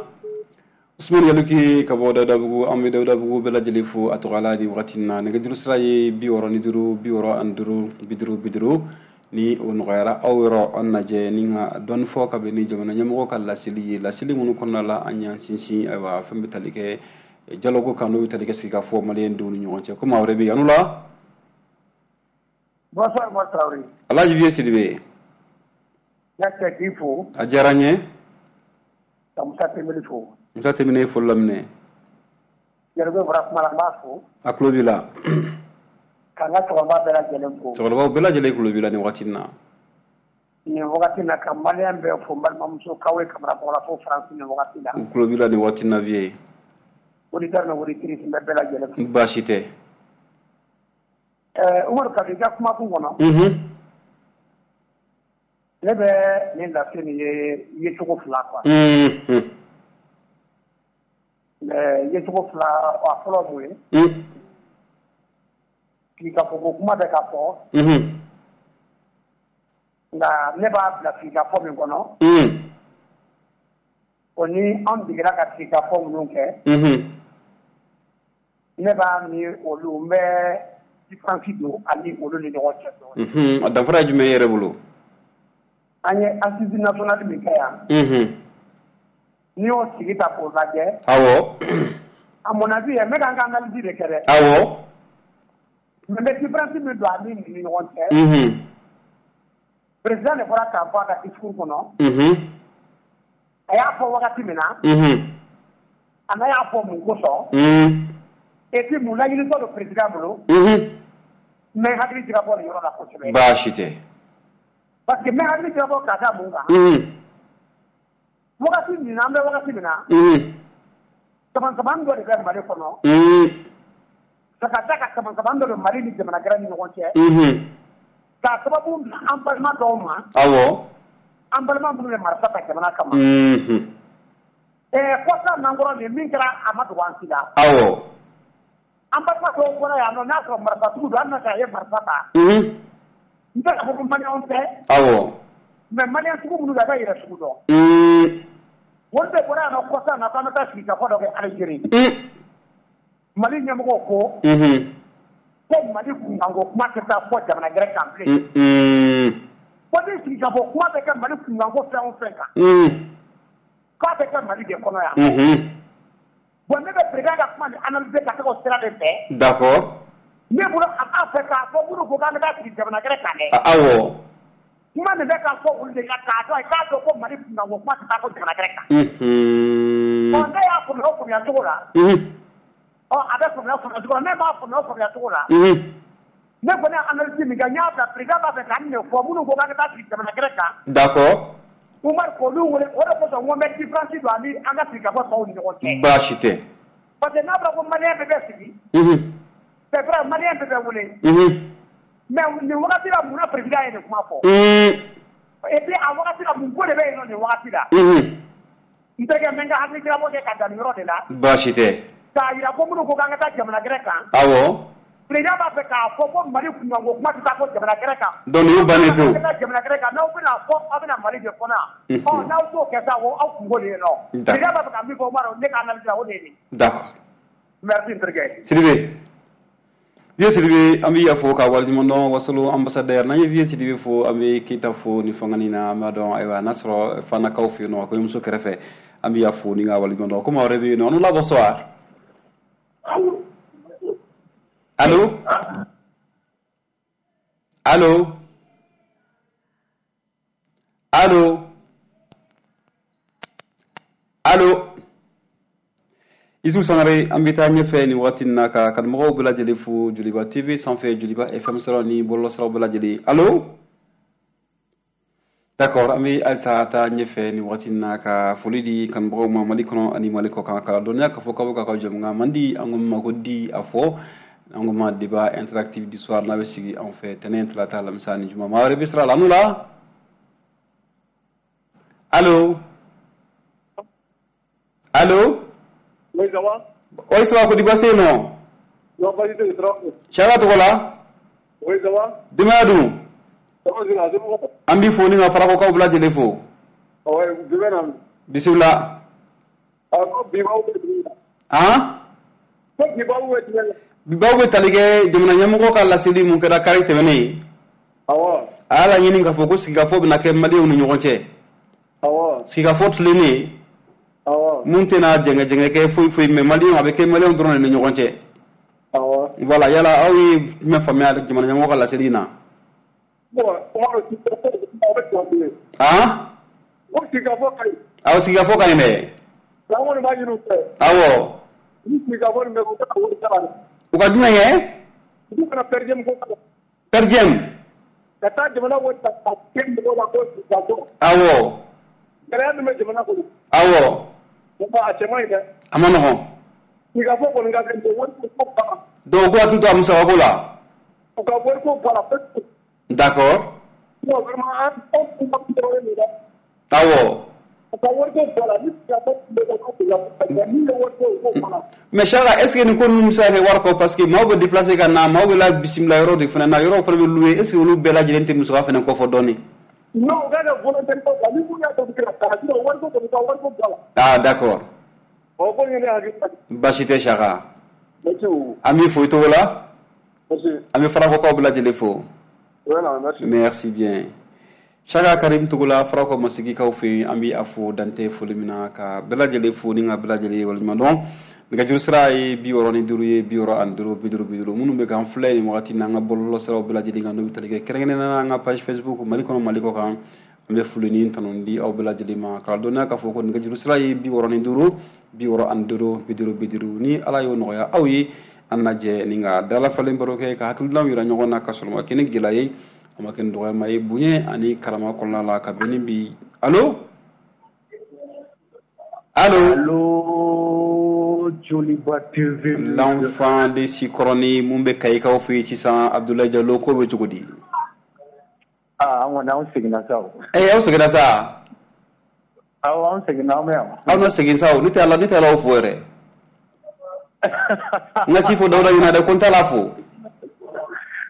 Usumani Yalikuye ka bɔ Dawudabugu, an bɛ Dawudabugu bɛɛ lajɛlen fo a tɔgɔ la nin wagati in na. Nɛgɛjuru sira ye bi wɔɔrɔ ni duuru, bi wɔɔrɔ ani duuru, bi duuru bi duuru. Ni o nɔgɔyara aw yɔrɔ, an lajɛ ni ka dɔɔni fɔ ka bɛn ni jamana ɲɛmɔgɔ ka laseli ye, laseli minnu kɔnɔna la an y'an sinsin ayiwa fɛn bɛ tali kɛ dialogue kan, n'o bɛ tali kɛ sigikafɔ maliyɛn denw ni ɲɔgɔn cɛ. Ko maa wɛrɛ bɛ yen yan la. Bonsoir, Umar Traoré. Alhaji Vieux Sidibe. N ka k'i fo. A diyara n ye. Ka Musa Tembeli fo. Musa Tembeli ye foli laminɛ. Yɛrɛbɛ bɔra kuma la, n b'a fo. A tulo b'i la. K'an ka cɛkɔrɔba bɛɛ lajɛlen fo. Cɛkɔrɔbaw bɛɛ lajɛlen tulo b'i la nin wagati in na. Nin wagati na ka malien bɛɛ fo n balimamuso Kawe Kamara bɔra fo France nin wagati la. U tulo b'i la nin waati na vieux. Auditeur ni auditrice n bɛ bɛɛ lajɛlen fo. Baasi tɛ. Ɛɛ Umaru Kabi i ka kumakun kɔnɔ. Unhun. Ne bɛ nin lase nin ye yecogo fila quoi. Unhun. Mais yecogo fila a fɔlɔ mun ye? Un. K'i ka fɔ ko kuma bɛ ka fɔ. Unhun. Nka ne b'a bila sigikafɔ min kɔnɔ. Un. O ni an degera ka sigikafɔ minnu kɛ. Unhun. Ne b'a ni olu n bɛ différence don ani olu ni ɲɔgɔn cɛ dɔɔnin. Unhun, a danfara ye jumɛn ye e yɛrɛ bolo? An ye assise nationale min kɛ yan. Unhun. N'i y'o sigi ta k'o lajɛ. Awɔ. À mon avis, n bɛ ka n ka analyse de kɛ dɛ. Awɔ. Mais n bɛ différence min don ani nin ni ɲɔgɔn cɛ. Unhun. Président de bɔra k'a fɔ a ka discours kɔnɔ. Unhun. A y'a fɔ wagati min na. Unhun. A n'a y'a fɔ mun kosɔn. Un. Et puis mun laɲinitɔ don président bolo. Unhun. N bɛ hakili jigabɔ nin yɔrɔ la kosɛbɛ. Baasi tɛ. Parce que n bɛ hakili jigabɔ ka da mun kan. Unhun. Wagati min na an bɛ wagati min na. Unhun. Kaman-kaman dɔ de bɛ Mali kɔnɔ. Un. Ka da ka kaman-kaman dɔ don Mali ni jamana gɛrɛ ni ɲɔgɔn cɛ. Unhun. K'a sababu bila an balima dɔw ma. Awɔ. An balima minnu ye marifa ta jamana kama. Unhun. Ɛɛ kɔsa nankɔrɔ nin min kɛra a ma dogo an si la. Awɔ. An balima dɔw bɔra yan nɔ n'a sɔrɔ marifatigiw don hali n'a sɔrɔ a ye marifa ta. Unhun. N tɛ k'a fɔ ko maliyɛnw tɛ. Awɔ. Mais maliyɛn sugu minnu don a bɛ yɛrɛ sugu dɔn. Un. Olu de bɔra yan nɔ kɔsa na k'an bɛ taa sigikafɔ dɔ kɛ Algérie. Un. Mali ɲɛmɔgɔw ko. Unhun. Ko Mali kunkanko kuma tɛ taa fɔ jamana gɛrɛ kan bilen. Un. Ko ni sigikafɔ kuma bɛ kɛ Mali kunkanko fɛn o fɛn kan. Un. K'a bɛ kɛ Mali de kɔnɔ yan. Unhun. Bon ne bɛ président ka kuma nin analyser ka taga o sira de fɛ. D'accord. Ne bolo a b'a fɛ k'a fɔ minnu ko k'an bɛ taa sigi jamana gɛrɛ kan dɛ. Awɔ. Kuma nin bɛ ka fɔ olu de ka k'a dɔn k'a dɔn ko Mali kunkanko kuma tɛ taa fɔ jamana gɛrɛ kan. Unhun. Ɔ ne y'a faamuya o faamuya cogo la. Unhun. Ɔ a bɛ faamuya faamuya cogo la ne m'a faamuya o faamuya cogo la. Unhun. Ne kɔni ye analyse min kɛ n y'a bila président b'a fɛ ka nin de fɔ minnu ko k'an bɛ taa sigi jamana gɛrɛ kan. D'accord. Umar k'olu wele o de kosɔn n ko n bɛ différence don ani an ka sigikafɔ tɔw ni ɲɔgɔn cɛ. Baasi tɛ. Parce que n'a fɔra ko malien bɛɛ bɛ sigi. Unhun. C'est vrai malien bɛɛ bɛ wele. Unhun. Mais nin wagati la mun na président ye nin kuma fɔ. Un. Et puis a wagati la mun ko de bɛ yen nɔ nin wagati la. Unhun. N terikɛ n bɛ n ka hakili jigabɔ kɛ ka dan nin yɔrɔ de la. Baasi tɛ. K'a jira ko minnu ko k'an ka taa jamana gɛrɛ kan. Awɔ. Président b'a fɛ k'a fɔ ko Mali kunkanko kuma tɛ taa fɔ jamana gɛrɛ kan. Donc nin y'o bannen pewu. An ka taa jamana gɛrɛ kan n'aw bɛna fɔ aw bɛna Mali de kɔnɔ yan. Ɔ n'aw t'o kɛ sa o aw kungo de ye nɔ. Président b'a fɛ ka min fɔ Umaru ne ka analyse la o de ye nin. D'accord. Merci n terikɛ. Sidibe. Vieux Sidibe an b'i fo ka waleɲuman dɔn Wasolo ambassadeur n'an ye Vieux Sidibe fo an bɛ Keyita fo ni fangani na an b'a dɔn ayiwa n'a sɔrɔ Fanakaw fɛ yen nɔ kɔɲɔmuso kɛrɛfɛ an b'i fo ni ka waleɲuman dɔn ko maa wɛrɛ bɛ yen nɔ an la bonsoir. Allô? Allô? Allô? Allô? Isu Sangare an bɛ taa ɲɛfɛ nin waati in na ka kanumɔgɔw bɛɛ lajɛlen fo Joliba T V sanfɛ Joliba F M sɔrɔ ni bɔlɔlɔsiraw bɛɛ lajɛlen. Allô? D'accord, an bɛ halisa taa ɲɛfɛ nin waati in na ka foli di kanubagaw ma Mali kɔnɔ ani Mali kɔ kan k'a dɔnniya k'a fɔ k'aw bɛ k'aw ka jɛmukan man di an ko min ma ko di a fɔ an ko ma débat interactif du soir n'a bɛ sigi anw fɛ tɛnɛn talata alamisa ni juma maa wɛrɛ bɛ sira la an n'u la. Allô? Allô? Oui, ça va? Oui, ça va, ko di baasi yen nɔ? Non, baasi tɛ yen, tɔɔrɔ. Siyaka tɔgɔ la? Oui, ça va? Denbaya dun? Ça va, c'est bon. An b'i fo ni ka Farakɔkaw bɛɛ lajɛlen fo. Oui, jumɛn na? Bisimila. Ah, ko bi b'aw bɛ jumɛn na? Han? Ko bi b'aw bɛ jumɛn na? Bi baw bɛ tali kɛ jamana ɲɛmɔgɔ ka laseli mun kɛra kari tɛmɛnen. Awɔ. A y'a laɲini k'a fɔ ko sigikafɔ bɛna kɛ maliyɛnw ni ɲɔgɔn cɛ. Awɔ. Sigikafɔ tilennen. Awɔ. Mun tɛna jɛngɛ-jɛngɛ kɛ foyi foyi mais maliyɛnw a bɛ kɛ maliyɛnw dɔrɔn de ni ɲɔgɔn cɛ. Awɔ. Voilà, yala aw ye jumɛn faamuya jamana ɲɛmɔgɔ ka laseli in na? Bon, Umaru, sigikafɔ a bɛ tiɲɛ bilen. Han? Ko sigikafɔ ka ɲi. Awɔ, sigikafɔ ka ɲi dɛ. An kɔni b'a ɲini u fɛ. Awɔ. Ni sigikafɔ nin bɛ kɛ u kana wari sara dɛ. U ka jumɛn kɛ? U kana per diem ko k'a la. Per diem? Ka taa jamana wari ta ka kɛ mɔgɔw la ko sigikafɔ. Awɔ. Gɛlɛya min bɛ jamana kɔnɔ. Awɔ. A cɛ man ɲi dɛ. A ma nɔgɔn. Sigikafɔ kɔni ka kɛ mais wariko ko banna. Donc ko hakili to a musakako la. U ka wariko bɔ a la pewu. D'accord. Bon vraiment an anw kuma tɔɔrɔlen don dɛ. Awɔ. U ka wariko bɔ a la ni sigikafɔ tun bɛ kɛ ko sigikafɔ mais min ye wariko ye u k'o bɔ a la. Mais Chaka, est ce que nin ko ninnu bɛ se ka kɛ wari kɔ parce que maaw bɛ déplacer ka na maaw bɛ la bisimila yɔrɔ de fana na yɔrɔw fana bɛ louer est ce que olu bɛɛ lajɛlen tɛ musaka fana kɔfɔ dɔɔni. Non u ka kɛ volontaire ko la ni mun y'a to u bɛ se ka taa sinon wariko kɔni ka wariko bɔ a la. Ah d'accord. O ko in ye ne hakili la. Baasi tɛ Chaka. Merci beaucoup. An b'i fo i tɔgɔ la. Merci. An bɛ Farakɔkaw bɛɛ lajɛlen fo. Voilà, merci. Merci bien. Chaka Karim Togola Farakɔ Masigikaw fɛ yen an bɛ a fo dante foli min na ka bɛɛ lajɛlen fo ni ka bɛɛ lajɛlen waleɲuman dɔn. Nɛgɛjuru sira ye bi wɔɔrɔ ni duuru ye bi wɔɔrɔ ani duuru bi duuru bi duuru minnu bɛ k'an filɛ nin wagati n'an ka bɔlɔlɔ siraw bɛɛ lajɛlen kan n'o bɛ tali kɛ kɛrɛnkɛrɛnnenya la an ka page Facebook Mali kɔnɔ Mali kɔ kan an bɛ foli ni tanu di aw bɛɛ lajɛlen ma k'a dɔnniya k'a fɔ ko nɛgɛjuru sira ye bi wɔɔrɔ ni duuru bi wɔɔrɔ ani duuru bi duuru bi duuru ni Ala y'o nɔgɔya aw ye an lajɛ ni ka dalafalen baro kɛ ka hakilinaw yira ɲɔgɔn na ka sɔrɔ ma kɛ ni gɛlɛya ye a ma kɛ ni dɔgɔyama ye bonya ani karama kɔnɔna la ka bɛn ni bi allo allo allo Joliba T V l'enfant de Sikɔrɔni mun bɛ Kayikaw fɛ yen sisan Abdoulaye Diallo ko bɛ cogo di. Ah an kɔni anw seginna sa o. Eh aw seginna sa. Awɔ an seginna an bɛ yan. Aw na segin sa o ne tɛ ala ne tɛ ala fo yɛrɛ. N ka ci fɔ Dawuda ɲɛna dɛ ko n t'a la fo.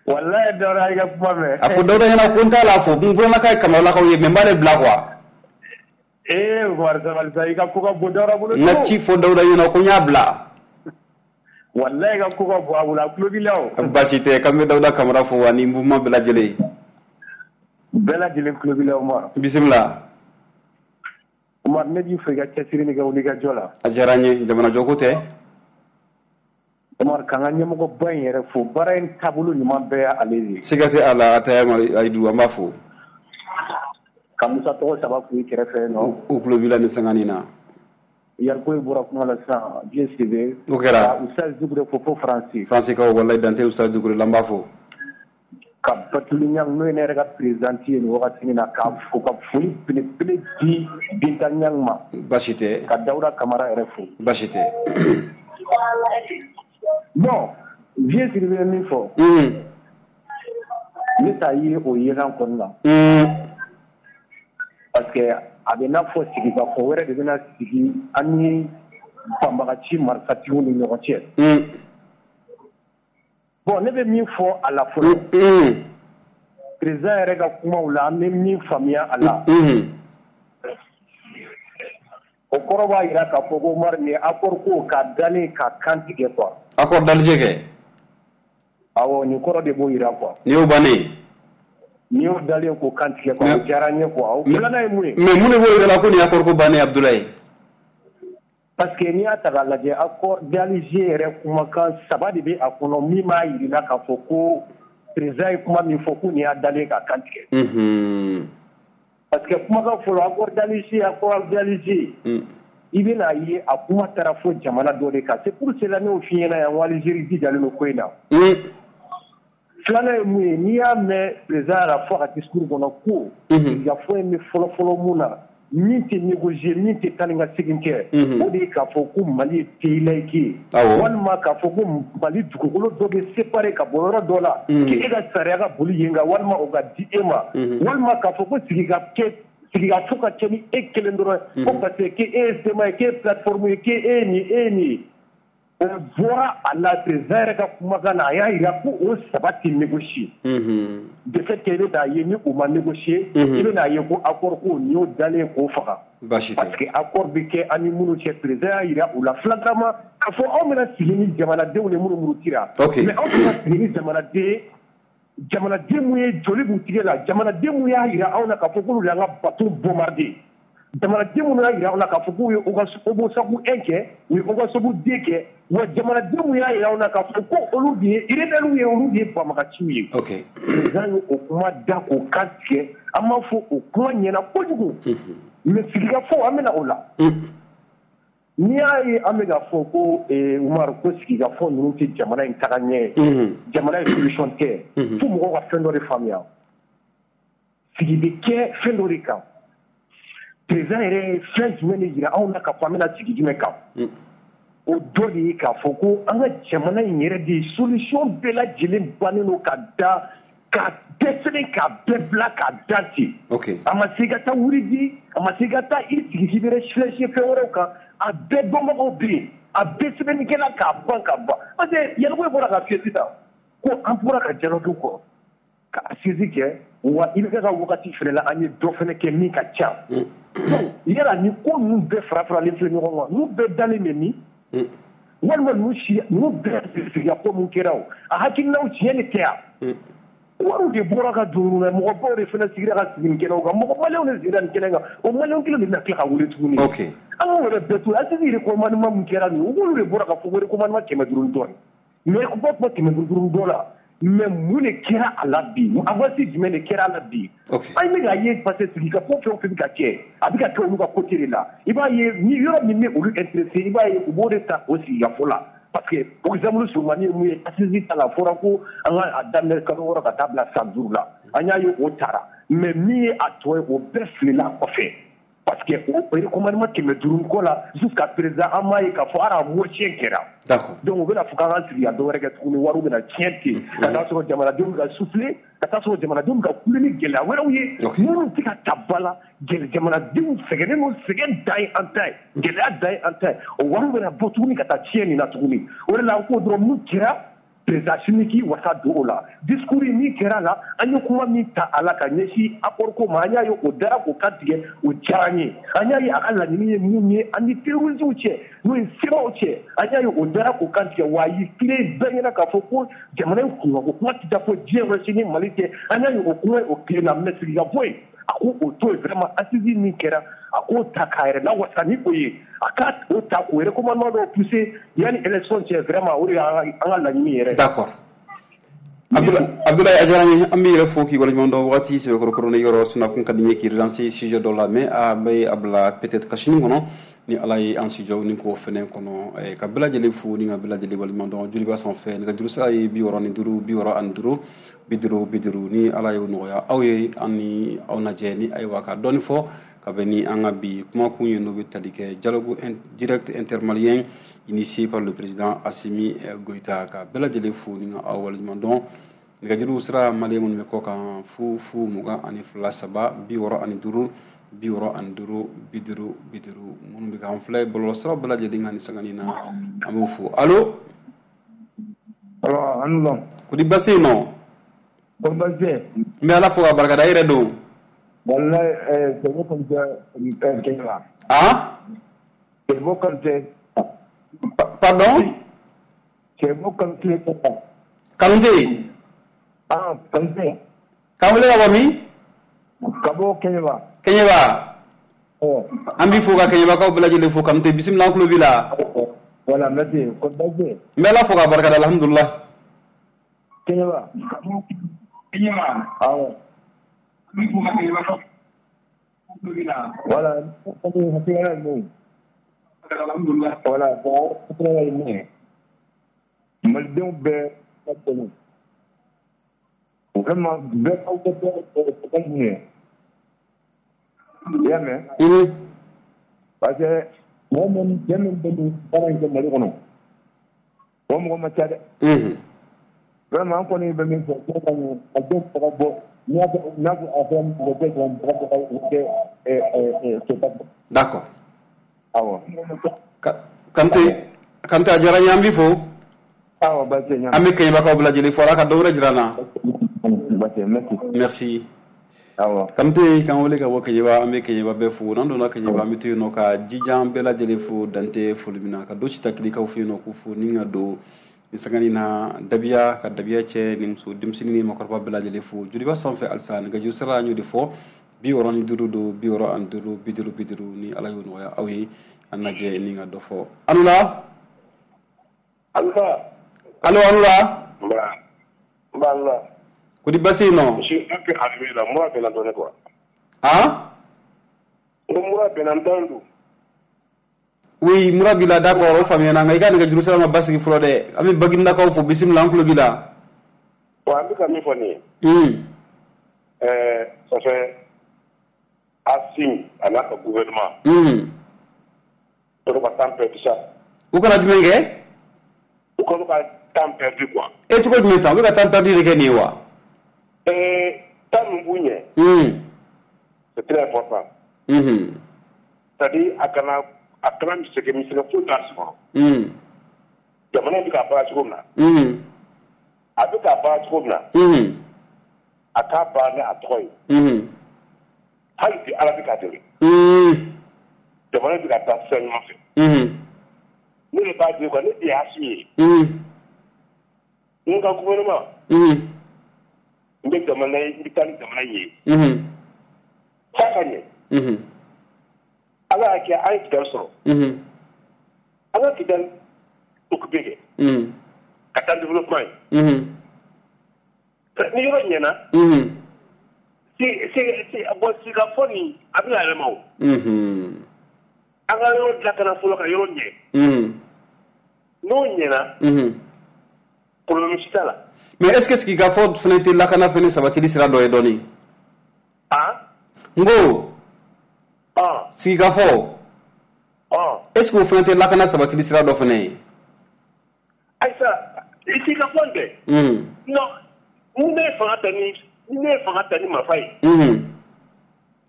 Walayi Dawuda i ka kuma mɛn. A fɔ Dawuda ɲɛna ko n t'a la fo n burannaka ye Kamaralakaw ye mais n b'ale bila quoi. Ee Umaru sabali sa i ka ko ka bon Dawuda bolo. N ka ci fɔ Dawuda ɲɛna ko n y'a bila. Walayi i ka ko ka bon a bolo a tulo b'i la o. Baasi tɛ k'an bɛ Dawuda Kamara fo ani mouvement bɛɛ lajɛlen. Bɛɛ lajɛlen tulo b'i la Umaru. Bisimila. Umaru ne b'i fo i ka cɛsiri ni ka wulikajɔ la. A diyara n ye jamanajɔko tɛ. Umaru k'an ka ɲɛmɔgɔba in yɛrɛ fo baara in taabolo ɲuman bɛɛ y'ale de ye. Siga tɛ a la a tɛ Ayidu an b'a fo. Ka Musa tɔgɔ saba k'u kɛrɛfɛ nɔ. U tulo b'i la nin sanganin na. Yariko bɔra kuma la sisan Dieu sait. O kɛra. Ustaz Dukure fo fo Faransi. Faransi kaw walayi dante Ustaz Dukure la n b'a fo. Ka Batuli Ɲang n'o ye ne yɛrɛ ka présidente ye nin wagati in na k'a fo ka foli belebele di Binta Ɲang ma. Baasi tɛ. Ka Dawuda Kamara yɛrɛ fo. Baasi tɛ. Bon Vieux Sidibe ye min fɔ. Ne t'a ye o yelan kɔni na. Parce que a bɛ n'a fɔ sigikafɔ wɛrɛ de bɛna sigi an ni banbagaci marifatigiw ni ɲɔgɔn cɛ. Bon ne bɛ min fɔ a la fɔlɔ. Président yɛrɛ ka kumaw la an bɛ min faamuya a la. O kɔrɔ b'a jira k'a fɔ ko Umaru nin ye accord ko ka dalen ka kan tigɛ quoi. Accord d'Alger kɛ. Awɔ nin kɔrɔ de b'o jira quoi. Nin y'o bannen ye. Nin y'o dalen k'o kan tigɛ quoi o diyara n ye quoi o filanan ye mun ye. Mais mun de b'o jira la ko nin ye accord ko bannen ye Abdoulaye. Parce que n'i y'a ta k'a lajɛ accord d'Alger yɛrɛ kumakan saba de bɛ a kɔnɔ min b'a jira k'a fɔ ko président ye kuma min fɔ ko nin y'a dalen k'a kan tigɛ. Unhun. Parce que kumakan fɔlɔ accord d'Alger accord d'Alger. I bɛna ye a kuma taara fo jamana dɔ de kan c'est pour cela ne y'o f'i ɲɛna yan ko Algérie jijalen don ko in na. Filanan ye mun ye n'i y'a mɛn président yɛrɛ fɔ a ka discours kɔnɔ ko sigikafɔ in bɛ fɔlɔ-fɔlɔ mun na min tɛ négocier min tɛ taa ni ka segin kɛ o de ye k'a fɔ ko Mali ye pays laïque ye walima k'a fɔ ko Mali dugukolo dɔ bɛ séparé ka bɔ yɔrɔ dɔ la k'e ka sariya ka boli yen kan walima o ka di e ma walima k'a fɔ ko sigi ka kɛ sigikafɔ ka kɛ ni e kelen dɔrɔn ko parce que k'e ye C M A ye k'e ye plateforme ye k'e ye nin e ye nin ye o bɔra a la président yɛrɛ ka kumakan na a y'a jira ko o saba tɛ négocier de fait que i bɛ n'a ye ni o ma négocier i bɛ n'a ye ko accord ko nin y'o dalen k'o faga parce que accord bɛ kɛ an ni minnu cɛ président y'a jira u la flagramment k'a fɔ anw bɛna sigi ni jamanadenw de minnu murutira mais anw bɛna sigi ni jamanaden jamanaden mun ye joli b'u tigɛ la jamanaden mun y'a jira anw na k'a fɔ k'olu y'an ka bateau bombarder jamanaden minnu y'a jira anw na k'a fɔ k'u ye Ogosagu un kɛ u ye Ogosagu deux kɛ wa jamanaden mun y'a jira anw na k'a fɔ ko olu de ye rebelles ye olu de ye banbagaciw ye. Président ye o kuma da k'o kan tigɛ an b'a fɔ o kuma ɲɛna kojugu mais sigikafɔ an bɛna o la. N'i y'a ye an bɛ k'a fɔ ko Umaru ko sigikafɔ ninnu tɛ jamana in taga ɲɛ ye jamana ye solution tɛ fo mɔgɔw ka fɛn dɔ de faamuya. Sigi bɛ kɛ fɛn dɔ de kan. Président yɛrɛ ye fɛn jumɛn de yira anw na k'a fɔ an bɛna sigi jumɛn kan. O dɔ de ye k'a fɔ ko an ka jamana in yɛrɛ de solution bɛɛ lajɛlen bannen don ka da ka dɛsɛ k'a bɛɛ bila k'a da ten. A ma se i ka taa wuri di, a ma se i ka taa i sigi k'i bɛ réfléchir fɛn wɛrɛw kan, a bɛɛ dɔnbagaw bɛ yen, a bɛɛ sɛbɛnnikɛla k'a ban ka ban. Parce que Yalcouyé bɔra ka fiyɛ sisan ko an bɔra ka dialogue kɔ ka assise kɛ, wa i bɛ ka wagati fɛnɛ la an ye dɔ fɛnɛ kɛ min ka ca. Donc yala ni ko ninnu bɛɛ fara faralen filɛ ɲɔgɔn kan, ninnu bɛɛ dalen bɛ min? Walima ninnu si ninnu bɛɛ sigiya ko mun kɛra o, a hakilinaw tiɲɛ de tɛ yan. Wariw de bɔra ka don na, mɔgɔbaw de fana sigira ka sigi nin kɛnɛw kan, mɔgɔ maliyɛnw de sigira nin kɛnɛ kan, o maliyɛn kelen de bɛna tila ka wele tuguni. An k'o yɛrɛ bɛɛ to yen, assise recommandement min kɛra nin ye, olu de bɔra ka fɔ ko recommandement kɛmɛ duuru ni dɔɔnin. Mais bɔ kuma kɛmɛ duuru dɔ la, mais mun de kɛra a la bi? Avance jumɛn de kɛra a la bi? An bɛ k'a ye parce que sigikafɔ fɛn o fɛn bɛ ka kɛ, a bɛ ka kɛ olu ka côté de la. I b'a ye ni yɔrɔ min bɛ olu intéressé, i b'a ye u b'o de ta o sigikafɔ la. Parce que exemple surumani ye mun ye, assise ta la fɔra ko an ka a daminɛ kalo wɔɔrɔ ka taa bila san duuru la, an y'a ye o taara. Mais min ye a tɔ ye, o bɛɛ filila kɔfɛ. Parce que o recommandement kɛmɛ duuru ko la jusqu'à présent an m'a ye k'a fɔ hali a moitié kɛra. Donc u bɛna fɔ k'an ka sigi ka dɔ wɛrɛ kɛ tuguni, wariw bɛna tiɲɛ ten, ka taa sɔrɔ jamanadenw ka souffler, ka taa sɔrɔ jamanadenw ka kule ni gɛlɛya wɛrɛw ye minnu tɛ ka ta ba la. Jamanadenw sɛgɛnnen don, sɛgɛn dan ye an ta ye, gɛlɛya dan ye an ta ye, o wariw bɛna bɔ tuguni ka taa tiɲɛ nin na tuguni. O de la an ko dɔrɔn mun kɛra, président Assimi k'i wasa don o la. Discours min kɛra la, an ye kuma min ta a la ka ɲɛsin accord ko ma, an y'a ye o dara k'o kan tigɛ, o diyara an ye. An y'a ye a ka laɲini ye mun ye an ni terroristes cɛ, n'o ye C M A cɛ, an y'a ye o dara k'o kan tigɛ. Wa a y'i tile bɛɛ ɲɛna k'a fɔ ko jamana in kunkanko kuma tɛ taa fɔ diɲɛ wɛrɛ si ni Mali tɛ. An y'a ye o kuma o tile na, mais sigikafɔ in a ko o to yen vraiment. Assise min kɛra, a k'o ta k'a yɛrɛ lawasa ni o ye, a ka o ta k'o recommandement dɔw pousser yanni élection cɛ, vraiment o de y'an ka laɲini yɛrɛ. D'accord. Abdoulaye, a diyara n ye, an b'i yɛrɛ fo k'i waleɲuman dɔn. Wagati sɛbɛkɔrɔ ni yɔrɔ sunakun ka di n ye k'i relancer sujet dɔ la, mais a bɛ a bila peut-être ka sini kɔnɔ ni Ala ye an sijɔ ni k'o fɛnɛ kɔnɔ. Ka bɛɛ lajɛlen fo ni ka bɛɛ lajɛlen waleɲuman dɔn. Joliba sanfɛ nɛgɛjuru sira ye bi wɔɔrɔ ni duuru bi wɔɔrɔ ani duuru bi duuru bi duuru. Ni Ala y'o nɔgɔya aw ye, an ni aw lajɛ ni ayiwa ka dɔɔni fɔ ka bɛn ni an ka bi kumakun ye, n'o bɛ tali kɛ dialogue direct intermalien initié par le président Assimi Goïta. Ka bɛɛ lajɛlen fo ni ka aw waleɲuman dɔn. Nɛgɛjuru sira, maliyɛn minnu bɛ kɔ kan, fu fu mugan ani fila saba bi wɔɔrɔ ani duuru bi wɔɔrɔ ani duuru bi duuru bi duuru. Minnu bɛ k'an filɛ bɔlɔlɔsira bɛɛ lajɛlen kan ni sangani na, an b'o fo. Allo. Allo, an lɔn. Ko di baasi yen nɔ? Ko baasi tɛ. N bɛ Ala fo k'a barikada. E yɛrɛ don? Walayi, Sɛbo Kanutɛ Kɛɲɛba. Ah? Sɛbo Kanutɛ. Pardon? Sɛbo Kanutɛ. Kanutɛ? Ah, Kanutɛ. K'an wele ka bɔ min? Ka bɔ Kɛɲɛba. Kɛɲɛba. An b'i fo ka Kɛɲɛbakaw bɛɛ lajɛlen fo. Kanutɛ, bisimila, an tulo b'i la. Voilà, merci. Ko baasi tɛ. N bɛ Ala fo k'a barikada, alhamdulilah. Kɛɲɛba. Kɛɲɛba. Awɔ. An b'i fo ka Kɛɲɛbakaw. Voilà, hakilina ye mun ye? Alhamdulilah. Voilà, bon, hakilina ye mun ye? Malidenw bɛɛ ka dɛmɛ. Vraiment, bɛɛ k'aw kɛ kɛ mun ye? I y'a mɛn? Parce que mɔgɔ min cɛ min bɛ nin baara in kɛ Mali kɔnɔ, o mɔgɔ ma ca dɛ. Vraiment, an kɔni bɛ min fɔ, a denw ka bɔ. N'a fɔ a fɔ mɔgɔ tɛ sɔn mɔgɔ kɛ D'accord. Awɔ. Kante, Kante, a diyara n ye, an b'i fo. Awɔ, baasi tɛ. An bɛ Kɛɲɛbakaw bɛɛ lajɛlen fo, Ala ka dɔ wɛrɛ jira an na. Baasi tɛ, merci. Merci. Awɔ. Kante k'an wele ka bɔ Kɛɲɛba, an bɛ Kɛɲɛba bɛɛ fo. N'an donna Kɛɲɛba, an bɛ to yen nɔ ka jijan bɛɛ lajɛlen fo dante foli min na, ka don Sitakilikaw fɛ yen nɔ k'u fo, ni ka don ni sangani na dabiya ka dabiya cɛ ni muso, denmisɛnnin ni makɔrɔba bɛɛ lajɛlen fo. Joliba sanfɛ halisa, nɛgɛjuru sira an y'o de fɔ, bi wɔɔrɔ ni duuru don bi wɔɔrɔ ani duuru bi duuru bi duuru. Ni Ala y'o nɔgɔya aw ye, an lajɛ ni ka dɔ fɔ. Alula. Alula. Allo, alula. Nba. Nba alula. Ko di baasi yen nɔ? Je suis un peu arrivé là, mura bɛ na dɔɔnin quoi. Ah? N ko mura bɛ na, n t'an don. Oui, mura b'i la, d'accord, o faamuyana, nka i ka nɛgɛjuru sira ma basigi fɔlɔ dɛ. An bɛ Baginedakaw fo, bisimila, an tulo b'i la. Wa an bɛ ka min fɔ nin ye. Un. Ɛɛ ça fait Assimi a n'a ka gouvernement. Unhun. Olu ka temps perdu sa. U kana jumɛn kɛ? U k'olu ka temps perdu quoi. E cogo jumɛn tan? U bɛ ka temps perdu de kɛ nin ye wa? Ɛɛ temps min b'u ɲɛ. Unhun. C'est très important. Unhun. C'est-à-dire a kana a kana misɛgɛ misɛgɛ foyi t'a sɔrɔ. Unhun. Jamana in bɛ k'a baara cogo min na. Unhun. A bɛ k'a baara cogo min na. Unhun. A k'a baara ni a tɔgɔ ye. Unhun. Hali bi Ala bɛ k'a dɛmɛ. Unhun. Jamana bɛ ka taa sira ɲuman fɛ. Unhun. Ne de b'a di quoi, ne de y'a Assimi ye. Unhun. N ka gouvernement. Unhun. N bɛ jamana ye, n bɛ taa ni jamana in ye. Unhun. F'a ka ɲɛ. Unhun. Ala y'a kɛ an ye Kidali sɔrɔ. Unhun. An ka Kidali occupé kɛ. Unhun. Ka taa développement ye. Unhun. Ni yɔrɔ ɲɛna. Unhun. Si si si bon sigikafɔ nin a bɛna yɛlɛma o. Unhun. An ka yɔrɔ lakana fɔlɔ ka yɔrɔ ɲɛ. Unhun. N'o ɲɛna. Unhun. Problème si t'a la. Mais est-ce que sigikafɔ fana tɛ lakana fana sabatili sira dɔ ye dɔɔni? Ah? N ko. Ah. Sigikafɔ. Ah. Est-ce que o fana tɛ lakana sabatili sira dɔ fana ye? Ayisa, sigikafɔ in dɛ. Unhun. Non, ni ne ye fanga ta ni ni ne ye fanga ta ni marifa ye. Unhun.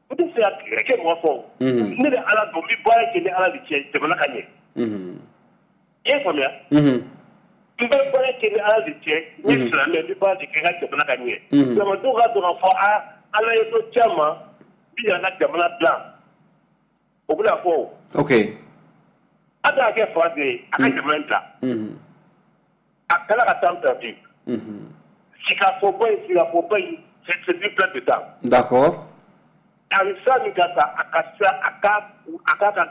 N tɛ se ka kɛ mɔgɔ fɔ o. Unhun. Ne bɛ Ala dɔn, n bɛ baara kɛ ni Ala de cɛ jamana ka ɲɛ. Unhun. I y'a faamuya? Unhun. N bɛ baara kɛ ni Ala de cɛ, n ye silamɛ, n bɛ baara de kɛ n ka jamana ka ɲɛ. Unhun. Jamanadenw ka dɔn k'a fɔ aa Ala ye dɔ ci a ma, n bɛ yan ka jamana dilan. O bɛna fɔ o. Ok. A k'a kɛ fa de ye, a ka jamana in dilan. Unhun. A kana ka temps perdu. Unhun. Sigikafɔba in sigikafɔba in c'est c'est une perte de temps. D'accord. A bɛ sira min kan sa, a ka sira a ka a k'a ka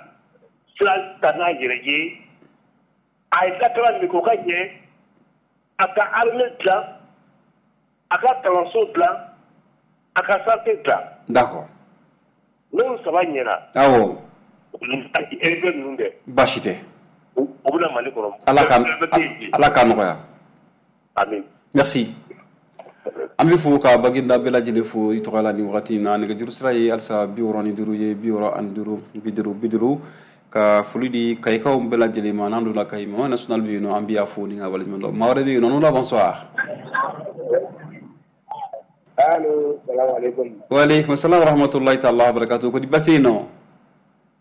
sira ta n'a yɛrɛ ye. A ye lakana min kɛ o ka ɲɛ. A ka armée dilan, a ka kalanso dilan, a ka santé dilan. D'accord. N'olu saba ɲɛna. Awɔ. R B ninnu dɛ. Baasi tɛ. U bɛna Mali kɔnɔ. Ala ka Ala k'a nɔgɔya. Amin. Merci. An bɛ fo ka Baginda bɛɛ lajɛlen fo i tɔgɔ la nin wagati in na. Nɛgɛjuru sira ye halisa bi wɔɔrɔ ni duuru ye, bi wɔɔrɔ ani duuru, bi duuru bi duuru. Ka foli di Kayikaw bɛɛ lajɛlen ma. N'an donna Kayi, Mama national bɛ yen nɔ, an bɛ y'a fo ni ka waleɲuman dɔn. Maa wɛrɛ bɛ yen nɔ, n'o la bonsoir. Allo, salam alaikum. Wa alaikum salam wa rahmatullahi ta'ala wa barakatuh. Ko di basi yen nɔ?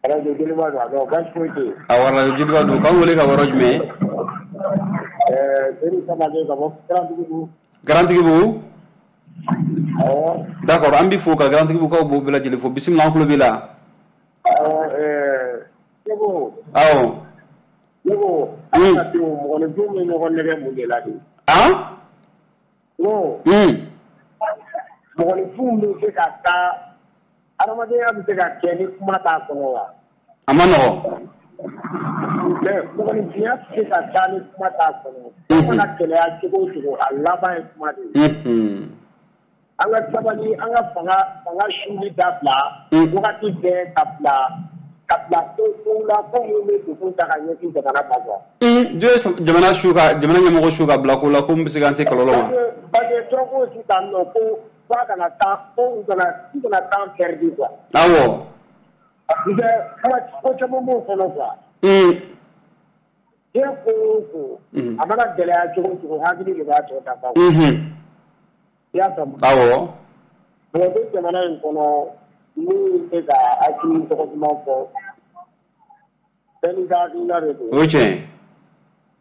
Radio Joliba don, non baasi foyi tɛ yen. Awɔ, Radio Joliba don. K'an wele ka bɔ yɔrɔ jumɛn? Ɛɛ Seydou Samake ka bɔ Garantigibugu. Garantigibugu? Awɔ. D'accord, an b'i fo ka Garantigibugukaw bɛɛ lajɛlen fo. Bisimila, an tulo b'i la. Awɔ, ɛɛ ne ko. Awɔ. Ne ko, adamadenw mɔgɔninfinw bɛ ɲɔgɔn nɛgɛ mun de la de? Han? N ko. Un. Mɔgɔninfinw bɛ se ka taa, adamadenya bɛ se ka kɛ ni kuma t'a kɔnɔ wa? A ma nɔgɔn. Mais mɔgɔninfinya tɛ se ka taa ni kuma t'a kɔnɔ. Kuma mana gɛlɛya cogo o cogo, a laban ye kuma de ye. Unhun. An ka sabali, an ka fanga fanga suli dabila. Wagati bɛɛ ka bila ka bila ko kow la ko minnu bɛ degun ta ka ɲɛsin jamana ma quoi. Un, jɔn ye jamana su ka jamana ɲɛmɔgɔ su ka bila ko la ko min bɛ se k'an se kɔlɔlɔ ma? Parce que dɔ ko sisan nɔ ko f'a kana taa ko u kana u kana temps perdu quoi. Awɔ. Parce que ko caman b'o kɔnɔ quoi. Un. Diɲɛ ko o ko, a mana gɛlɛya cogo o cogo, hakili de b'a tɔ dafa. Unhun. I y'a faamu? Awɔ. Mɔgɔ bɛ jamana in kɔnɔ min bɛ ka hakili tɔgɔ duman fɔ, bɛɛ n'i ka hakilina de don. O ye tiɲɛ ye.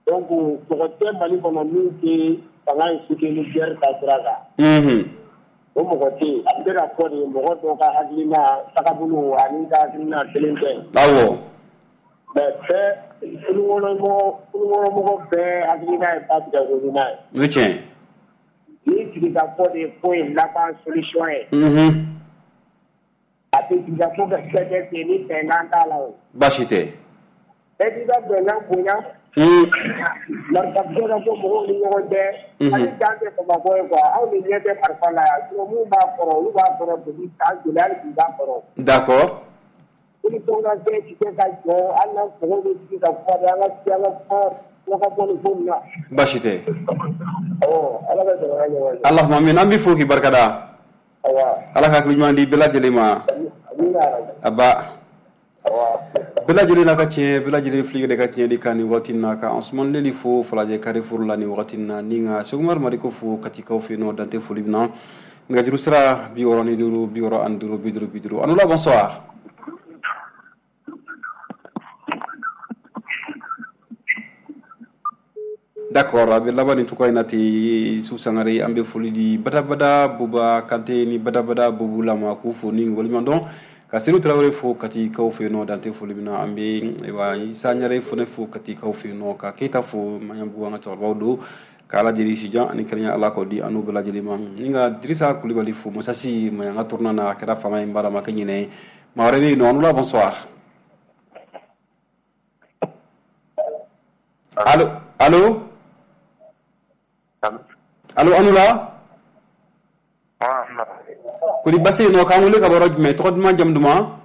Donc mɔgɔ tɛ Mali kɔnɔ min tɛ fanga in soutenir guerre taasira kan. Unhun. O mɔgɔ tɛ yen. A bɛ se ka fɔ de mɔgɔ dɔw ka hakilina tagabolo ani ka hakilina kelen tɛ. Awɔ. Mais bɛɛ kulukɔnɔmɔgɔ kulukɔnɔmɔgɔ bɛɛ hakilina ye ba tigɛ ko ɲuman ye. O ye tiɲɛ ye. Ni sigikafɔ de ye ko in laban solution ye. Unhun. A tɛ sigikafɔ ka se kɛ ten ni bɛnkan t'a la o. Baasi tɛ. Bɛɛ b'i ka bɛnkan bonya. Un. Marifa bɛ ka bɔ mɔgɔw ni ɲɔgɔn cɛ. Unhun. Hali dan tɛ Bamakɔ ye quoi, anw de ɲɛ tɛ marifa la yan sinon mun b'a kɔrɔ olu b'a kɔrɔ depuis san joli hali bi u b'a kɔrɔ. D'accord. Solution ka kɛ ti se ka jɔ hali n'an mɔgɔw bɛ sigi ka kuma de an ka sigi an ka kuma dɔ ka bɔ nin ko in na. Baasi tɛ. Awɔ, Ala ka jamana ɲɛmajɔ. Allahumma amin, an b'i fo k'i barikada. Ala ka hakili ɲuman di bɛɛ lajɛlen ma. Aba. Bɛɛ lajɛlen n'a ka tiɲɛ, bɛɛ lajɛlen fili de ka tiɲɛ di kan nin waati in na, ka Ansoumane Leli fo Falajɛ Carrefour la nin waati in na, ni ka Seku Umaru Mariko fo Katikaw fɛ yen nɔ, dante foli min na. Nɛgɛjuru sira bi wɔɔrɔ ni duuru bi wɔɔrɔ ani duuru bi duuru bi duuru. Anoula, bonsoir. D'accord, a bɛ laban nin cogoya in na ten. Youssouf Sangare, an bɛ foli di badabada Buba Kante ni badabada Bubu la ma, k'u fo ni waleɲuman dɔn, ka Seydou Tarawele fo Katikaw fɛ yen nɔ, dante foli min na. An bɛ ayiwa Isa Ɲare fana fo Katikaw fɛ yen nɔ, ka Keyita fo Maɲanbugu, an ka cɛkɔrɔbaw don, ka Ala deli sijan ani kɛnɛya Ala k'o di an n'u bɛɛ lajɛlen ma, ni ka Dirisa Kulibali fo Masasi Maɲanga tournant na, a kɛra faama ye, n b'a ma kɛ ɲinɛ ye. Maa wɛrɛ bɛ yen nɔ. Anoula, bonsoir. Allo, allo, allo, Anoula. Kori basi yen nɔ? K'an wele ka bɔ yɔrɔ jumɛn? Tɔgɔ duman, jamu duman?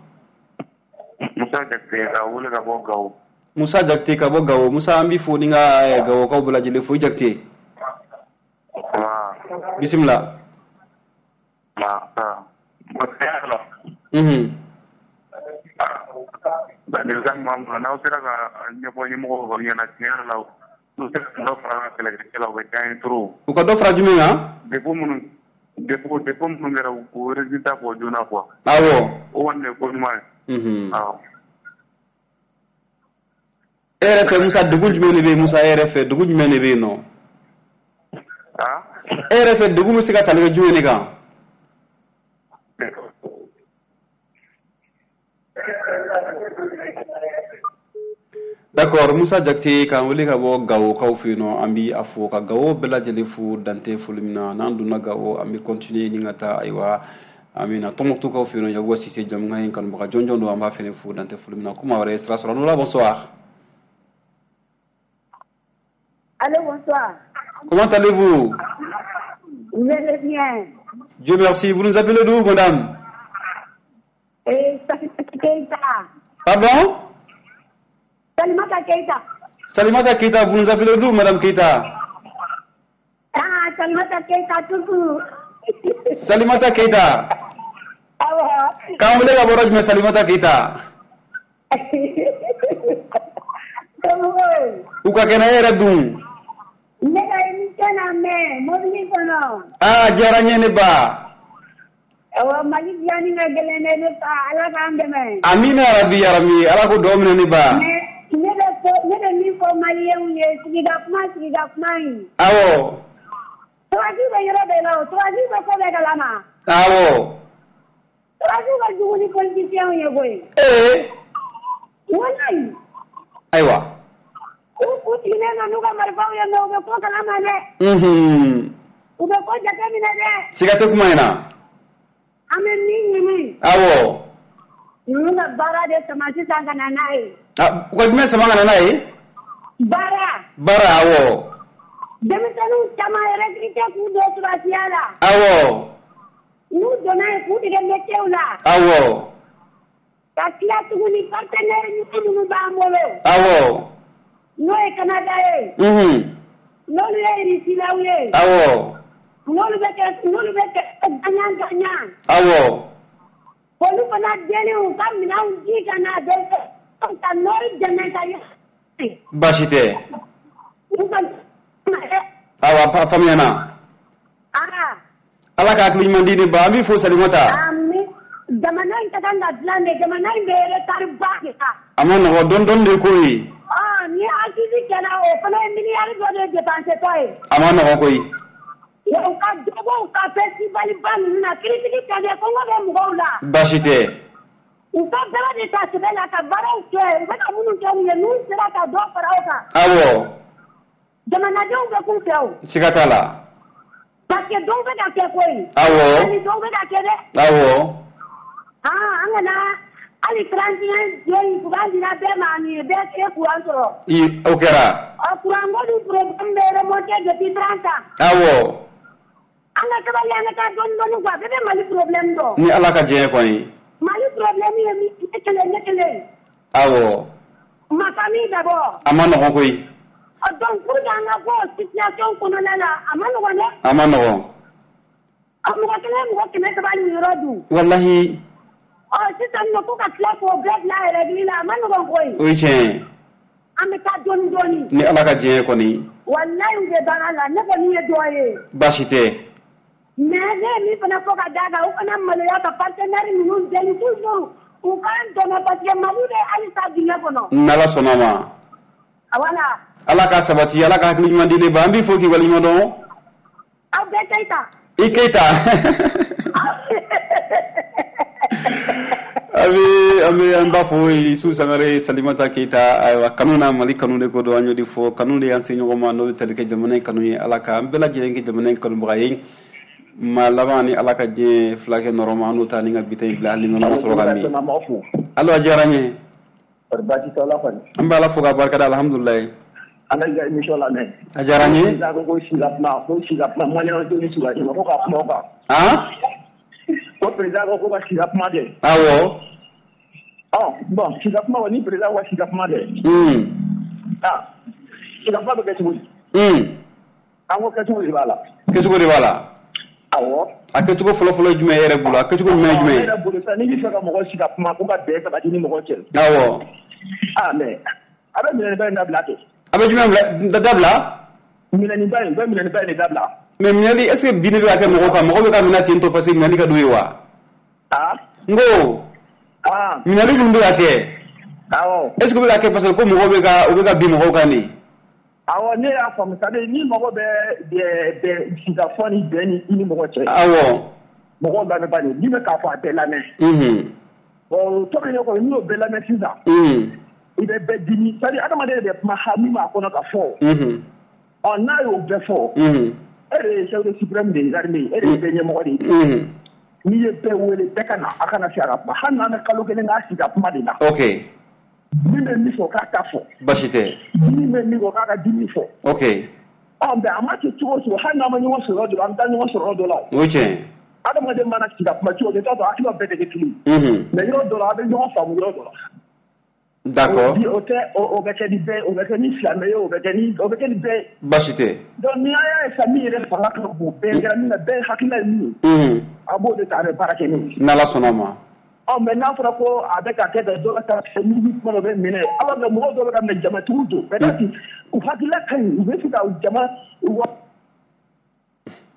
Musa Jakite ka wele ka bɔ Gawo. Musa Jakite ka bɔ Gawo. Musa, an b'i fo ni ka Gawokaw bɛɛ lajɛlen fo. I Jakite, bisimila. Mhm. Ladilikan min b'an bolo, n'aw sera ka ɲɛfɔ ɲɛmɔgɔw ɲɛna, tiɲɛ yɛrɛ la, n'u sera ka dɔ fara an ka kɛlɛkɛcɛ la, o bɛ diya an ye trop. U ka dɔ fara jumɛn kan? Défaut minnu défaut défaut minnu kɛra, k'o résultat bɔ joona quoi. Awɔ. O kɔni de ye ko ɲuman ye. Mhm. Awɔ. E yɛrɛ fɛ, Musa, degun jumɛn de bɛ yen? Musa, e yɛrɛ fɛ, degun jumɛn de bɛ yen nɔ? E yɛrɛ fɛ, degun bɛ se ka tali kɛ jumɛn de kan? D'accord, Musa Jakite k'an wele ka bɔ Gawokaw fɛ yen nɔ, an bi a fo ka Gawo bɛɛ lajɛlen fo dante foli min na. N'an donna Gawo, an bɛ continuer ni ka taa, ayiwa, an bɛ na Tɔnbukutukaw fɛ yen nɔ. Yakuba Sise, jamukan in kanubaga jɔnjɔn don, an b'a fɛnɛ fo dante foli min na. Ko maa wɛrɛ ye sira sɔrɔ. Anoula, bonsoir. Allô, bonsoir. Comment allez-vous? Vous allez bien? Dieu merci. Vous nous appelez d'où, madame? Eh, Salimata Keita. Pardon? Salimata Keita. Salimata Keita, vous nous appelez d'où, madame Keita? Ah, Salimata Keita, toujours. Salimata Keita. Awɔ. K'an wele ka bɔ yɔrɔ jumɛn, Salimata Keita? Somɔgɔw? U ka kɛnɛ, e yɛrɛ dun? Ne ka émission lamɛn mobili kɔnɔ. Ah, diyara n ye, ne ba. Awɔ, Mali dilanni ka gɛlɛn dɛ, ne fa, Ala k'an dɛmɛ. Amina yarabi yarabi, Ala ko dugawu minɛ ne ba. Mais ne bɛ fɔ, ne bɛ min fɔ maliyɛnw ye, sigida kuma, sigida kuma in. Awɔ. Sɔrɔdasiw bɛ yɔrɔ bɛɛ la o, sɔrɔdasiw bɛ ko bɛɛ kalama. Awɔ. Sɔrɔdasiw ka jugu ni politiciens ye koyi. Ee. Walayi. Ayiwa. U u sigilen don n'u ka marifaw ye, mais u bɛ ko kalama dɛ. Unhun. U bɛ ko jateminɛ dɛ. Siga tɛ kuma in na. An bɛ min ɲini. Awɔ. Ninnu ka baara de sama sisan ka na n'a ye. Ah, u ka jumɛn sama ka na n'a ye? Baara. Baara, awɔ. Denmisɛnninw caman recruter k'u don sɔrɔdasiya la. Awɔ. N'u donna yen, k'u dege métier la. Awɔ. Ka tila tuguni, partenaire ɲuman minnu b'an bolo. Awɔ. N'o ye Canada ye. Unhun. N'olu ye Irisilaw ye. Awɔ. N'olu bɛ kɛ n'olu bɛ kɛ gagnant gagnant. Awɔ. Olu fana deli u ka minɛnw di ka na denmisɛnninw ka nɔri dɛmɛ ka ye. Baasi tɛ. U ka Awa, faamuyana. Ah. Ala ka hakili ɲuman di ne ba, an b'i fo Salimata. Ami. Jamana in ka kan ka dilan de, jamana in bɛ retard ba de la. A ma nɔgɔ, dɔɔni dɔɔni de ko ye. Ɔ, ni assise kɛra, o fana ye miliyari dɔ de dépensé tɔ ye. A ma nɔgɔ koyi. Wa u ka dɔ bɔ u ka festival ba ninnu na, critique tɛ dɛ, kɔngɔ bɛ mɔgɔw la. Baasi tɛ. U ka baara de ta sɛbɛ la ka baaraw kɛ, u bɛ ka minnu kɛ nin ye, n'u sera ka dɔ fara o kan. Awɔ. Jamanadenw bɛ k'u fɛ o. Siga t'a la. Parce que dɔw bɛ ka kɛ koyi. Awɔ. Hali dɔw bɛ ka kɛ dɛ. Awɔ. Ah, an kana hali trente et un don in courant dira bɛɛ ma, nin bɛɛ ye courant sɔrɔ. I o kɛra. Ɔ, courant ko dun problème bɛ remonter depuis trente ans. Awɔ. An ka sabali, an ka taa dɔɔni dɔɔni quoi, bɛɛ bɛ Mali problème dɔn. Ni Ala ka diɲɛ kɔni. Mali problème ye min ne kelen ne kelen. Awɔ. Ma famille d'abord. A ma nɔgɔn koyi. Ɔ, donc pour que an ka bɔ o situation kɔnɔna la, a ma nɔgɔn dɛ. A ma nɔgɔn. Ɔ mɔgɔ kelen mɔgɔ kɛmɛ saba ni yɔrɔ dun. Walahi. Ɔ sisan nɔ ko ka tila k'o bɛɛ bila règle la a ma nɔgɔn koyi. O ye tiɲɛ ye. An bɛ taa dɔɔni dɔɔni. Ni Ala ka diɲɛ ye kɔni. Walahi u bɛ baara la ne kɔni ye dɔ ye. Baasi tɛ. Mais ne ye min fana fɔ ka d'a kan u kana maloya ka partenaire ninnu deli toujours u k'an dɛmɛ parce que Mali bɛ halisa dingɛ kɔnɔ. N'Ala sɔnna ma. Voilà. Ala ka sabati Ala ka hakili ɲuman di ne ba an b'i fo k'i waleɲuman dɔn. Aw bɛɛ Keyita. I Keyita. An bɛ an bɛ an b'a fɔ Isu Sangare Salimata Keyita ayiwa kanu na Mali kanu de ko don an y'o de fɔ kanu de y'an se ɲɔgɔn ma n'o bɛ tali kɛ jamana in kanu ye Ala ka an bɛɛ lajɛlen kɛ jamana in kanubaga ye maa laban ni Ala ka diɲɛ fila kɛ nɔrɔ ma an n'o ta ni ka bi ta in bila hali ni nɔnɔ ma sɔrɔ ka min. Allo a diyara n ye. An bɛ Ala fo k'a barikada alihamudulilayi. An ka i ka émission lamɛn. A diyara n ye. Ko ko si ka kuma ko si ka kuma maliyɛnw tɛ ni sura ko ka kuma o kan. Han? Ko président ko ko ka si ka kuma dɛ. Awɔ. Ɔ bon si ka kuma kɔni ni président ko si ka kuma dɛ. Un. Ah si ka kuma bɛ kɛ cogo di? Un. An ko kɛcogo de b'a la. Kɛcogo de b'a la. Awɔ. A kɛcogo fɔlɔ-fɔlɔ ye jumɛn ye e yɛrɛ bolo a kɛcogo ɲuman ye jumɛn ye? Ne yɛrɛ bolo sisan n'i bɛ fɛ ka mɔgɔ si ka kuma ko ka bɛn sabati ni mɔgɔ cɛ. Awɔ. Ah mais a bɛ minɛniba in dabila kɛ. A bɛ jumɛn bila dabila? Minɛniba in bɛ minɛniba in de dabila. Mais minɛli est ce que bin de bɛ ka kɛ mɔgɔw kan mɔgɔw bɛ ka minɛ ten tɔ parce que minɛli ka d'u ye wa? Ah. N ko. Ah. Minɛli minnu bɛ ka kɛ. Awɔ. Est ce que u bɛ ka kɛ parce que ko mɔgɔw bɛ ka u bɛ ka bin mɔgɔw kan de? Awɔ ne y'a faamu c'est à dire ni mɔgɔ bɛ bɛ sigikafɔ ni bɛn ni i ni mɔgɔ cɛ. Awɔ. Mɔgɔw lamɛn bani min bɛ k'a fɔ a bɛɛ lamɛn. Unhun. Bon o tɔbili kɔni n'i y'o bɛɛ lamɛn sisan. Unhun. I bɛ bɛɛ dimi c'est à dire adamaden de bɛ kuma ha min b'a kɔnɔ ka fɔ. Unhun. Ɔ n'a y'o bɛɛ fɔ. Unhun. E de ye chef de suprême des armées e de ye bɛɛ ɲɛmɔgɔ de ye. Unhun. N'i ye bɛɛ wele bɛɛ ka na a kana se a ka kuma hali n'an bɛ kalo kelen k'a sigi ka kuma de la. Ok. Min bɛ min fɔ k'a ta fɔ. Baasi tɛ. Min bɛ min fɔ k'a ka dimi fɔ. Ok. Ɔ mais a ma kɛ cogo o cogo hali n'an ma ɲɔgɔn sɔrɔ dɔ la an bɛ taa ɲɔgɔn sɔrɔ dɔ la. O ye tiɲɛ ye. Adamaden mana sigi ka kuma cogo o cogo i t'a sɔrɔ hakililaw bɛɛ tɛ kɛ kelen ye. Unhun. Mais yɔrɔ dɔ la a bɛ ɲɔgɔn faamu yɔrɔ dɔ la. D'accord. O tɛ o bɛ kɛ ni bɛɛ o bɛ kɛ ni silamɛ ye o bɛ kɛ ni o bɛ kɛ ni bɛɛ ye. Baasi tɛ. Donc ni an y'a ye sisan min yɛrɛ fanga ka bon bɛɛ kɛra min na bɛɛ hakilila ye min ye. Unhun. A b'o de ta a bɛ baara kɛ n'o ye. N'Ala sɔnna a ma. Ɔ mais n'a fɔra ko a bɛ ka kɛ tan dɔ ka taa ni kuma dɔ bɛ minɛ alors que mɔgɔw dɔw bɛ ka minɛ jamatigiw don peut-être u hakilila ka ɲi u bɛ se ka jama wa.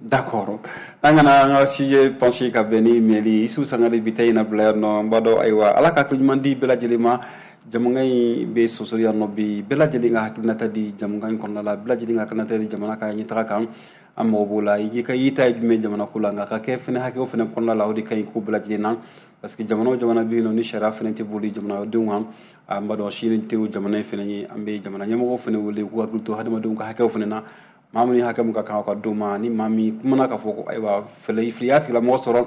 D'accord. An kana an ka sujet pencher ka bɛn ni minɛli Isu Sangare bi ta in na bila yan nɔ an b'a dɔn ayiwa Ala ka hakili ɲuman di bɛɛ lajɛlen ma jamukan in bɛ sosori yan nɔ bi bɛɛ lajɛlen ka hakilinata di jamukan in kɔnɔna la bɛɛ lajɛlen ka hakilinata di jamana ka ɲɛtaga kan an mago b'o la i ka i ta ye jumɛn jamana ko la nka ka kɛ fɛnɛ hakɛw fɛnɛ kɔnɔna la o de ka ɲi ko bɛɛ lajɛlen na parce que jamana o jamana bɛ yen nɔ ni sariya fɛnɛ tɛ boli jamanadenw kan an b'a dɔn sini tɛ o jamana in fɛnɛ ye an bɛ jamana ɲɛmɔgɔw fɛnɛ wele k'u hakili to hadamadenw ka hakɛw fɛnɛ na maa min hakɛ min ka kan ka d'o ma ni maa min kumana k'a fɔ ko ayiwa fɛlɛ fili tigilamɔgɔ sɔrɔ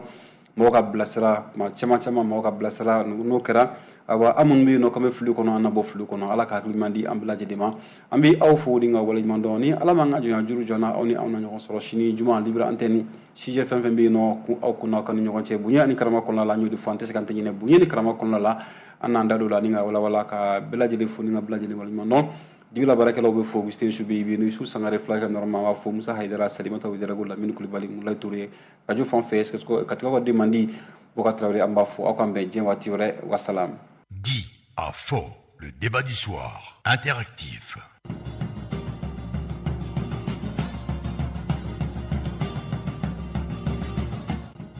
mɔgɔ ka bilasira kuma caman caman mɔgɔ ka bilasira n'o kɛra ayiwa an minnu bɛ yen nɔ k'an bɛ fili kɔnɔ an na bɔ fili kɔnɔ Ala ka hakili ɲuman di an bɛɛ lajɛlen ma an bɛ aw fo ni ka waleɲuman dɔn ni Ala m'an ka jɔnya juru jɔ an na aw ni anw na ɲɔgɔn sɔrɔ sini juma libre antenne sujet fɛn fɛn bɛ yen nɔ aw kun n'aw ka ni ɲɔgɔn cɛ bonya ani karama kɔnɔna la an y'o de fɔ an tɛ se k'an tɛ ɲinɛ bonya ni karama kɔnɔna la an n'an da don la ni ka walawala ka bɛɛ lajɛlen fo ni ka bɛɛ lajɛlen waleɲuman dɔn Dibila baarakɛlaw bɛ fo Augustin Subi bi Isu Sangare fila kɛ normal b'a fo Musa Hayidara Salimata Ouedraogo Lamini Kulibali Mulayi Toure radio fan fɛ Katika ka den man di Boka Traoré an b'a fo aw k'an bɛn diɲɛ waati wɛrɛ wasalam. Dit à faux, le débat du soir, interactif.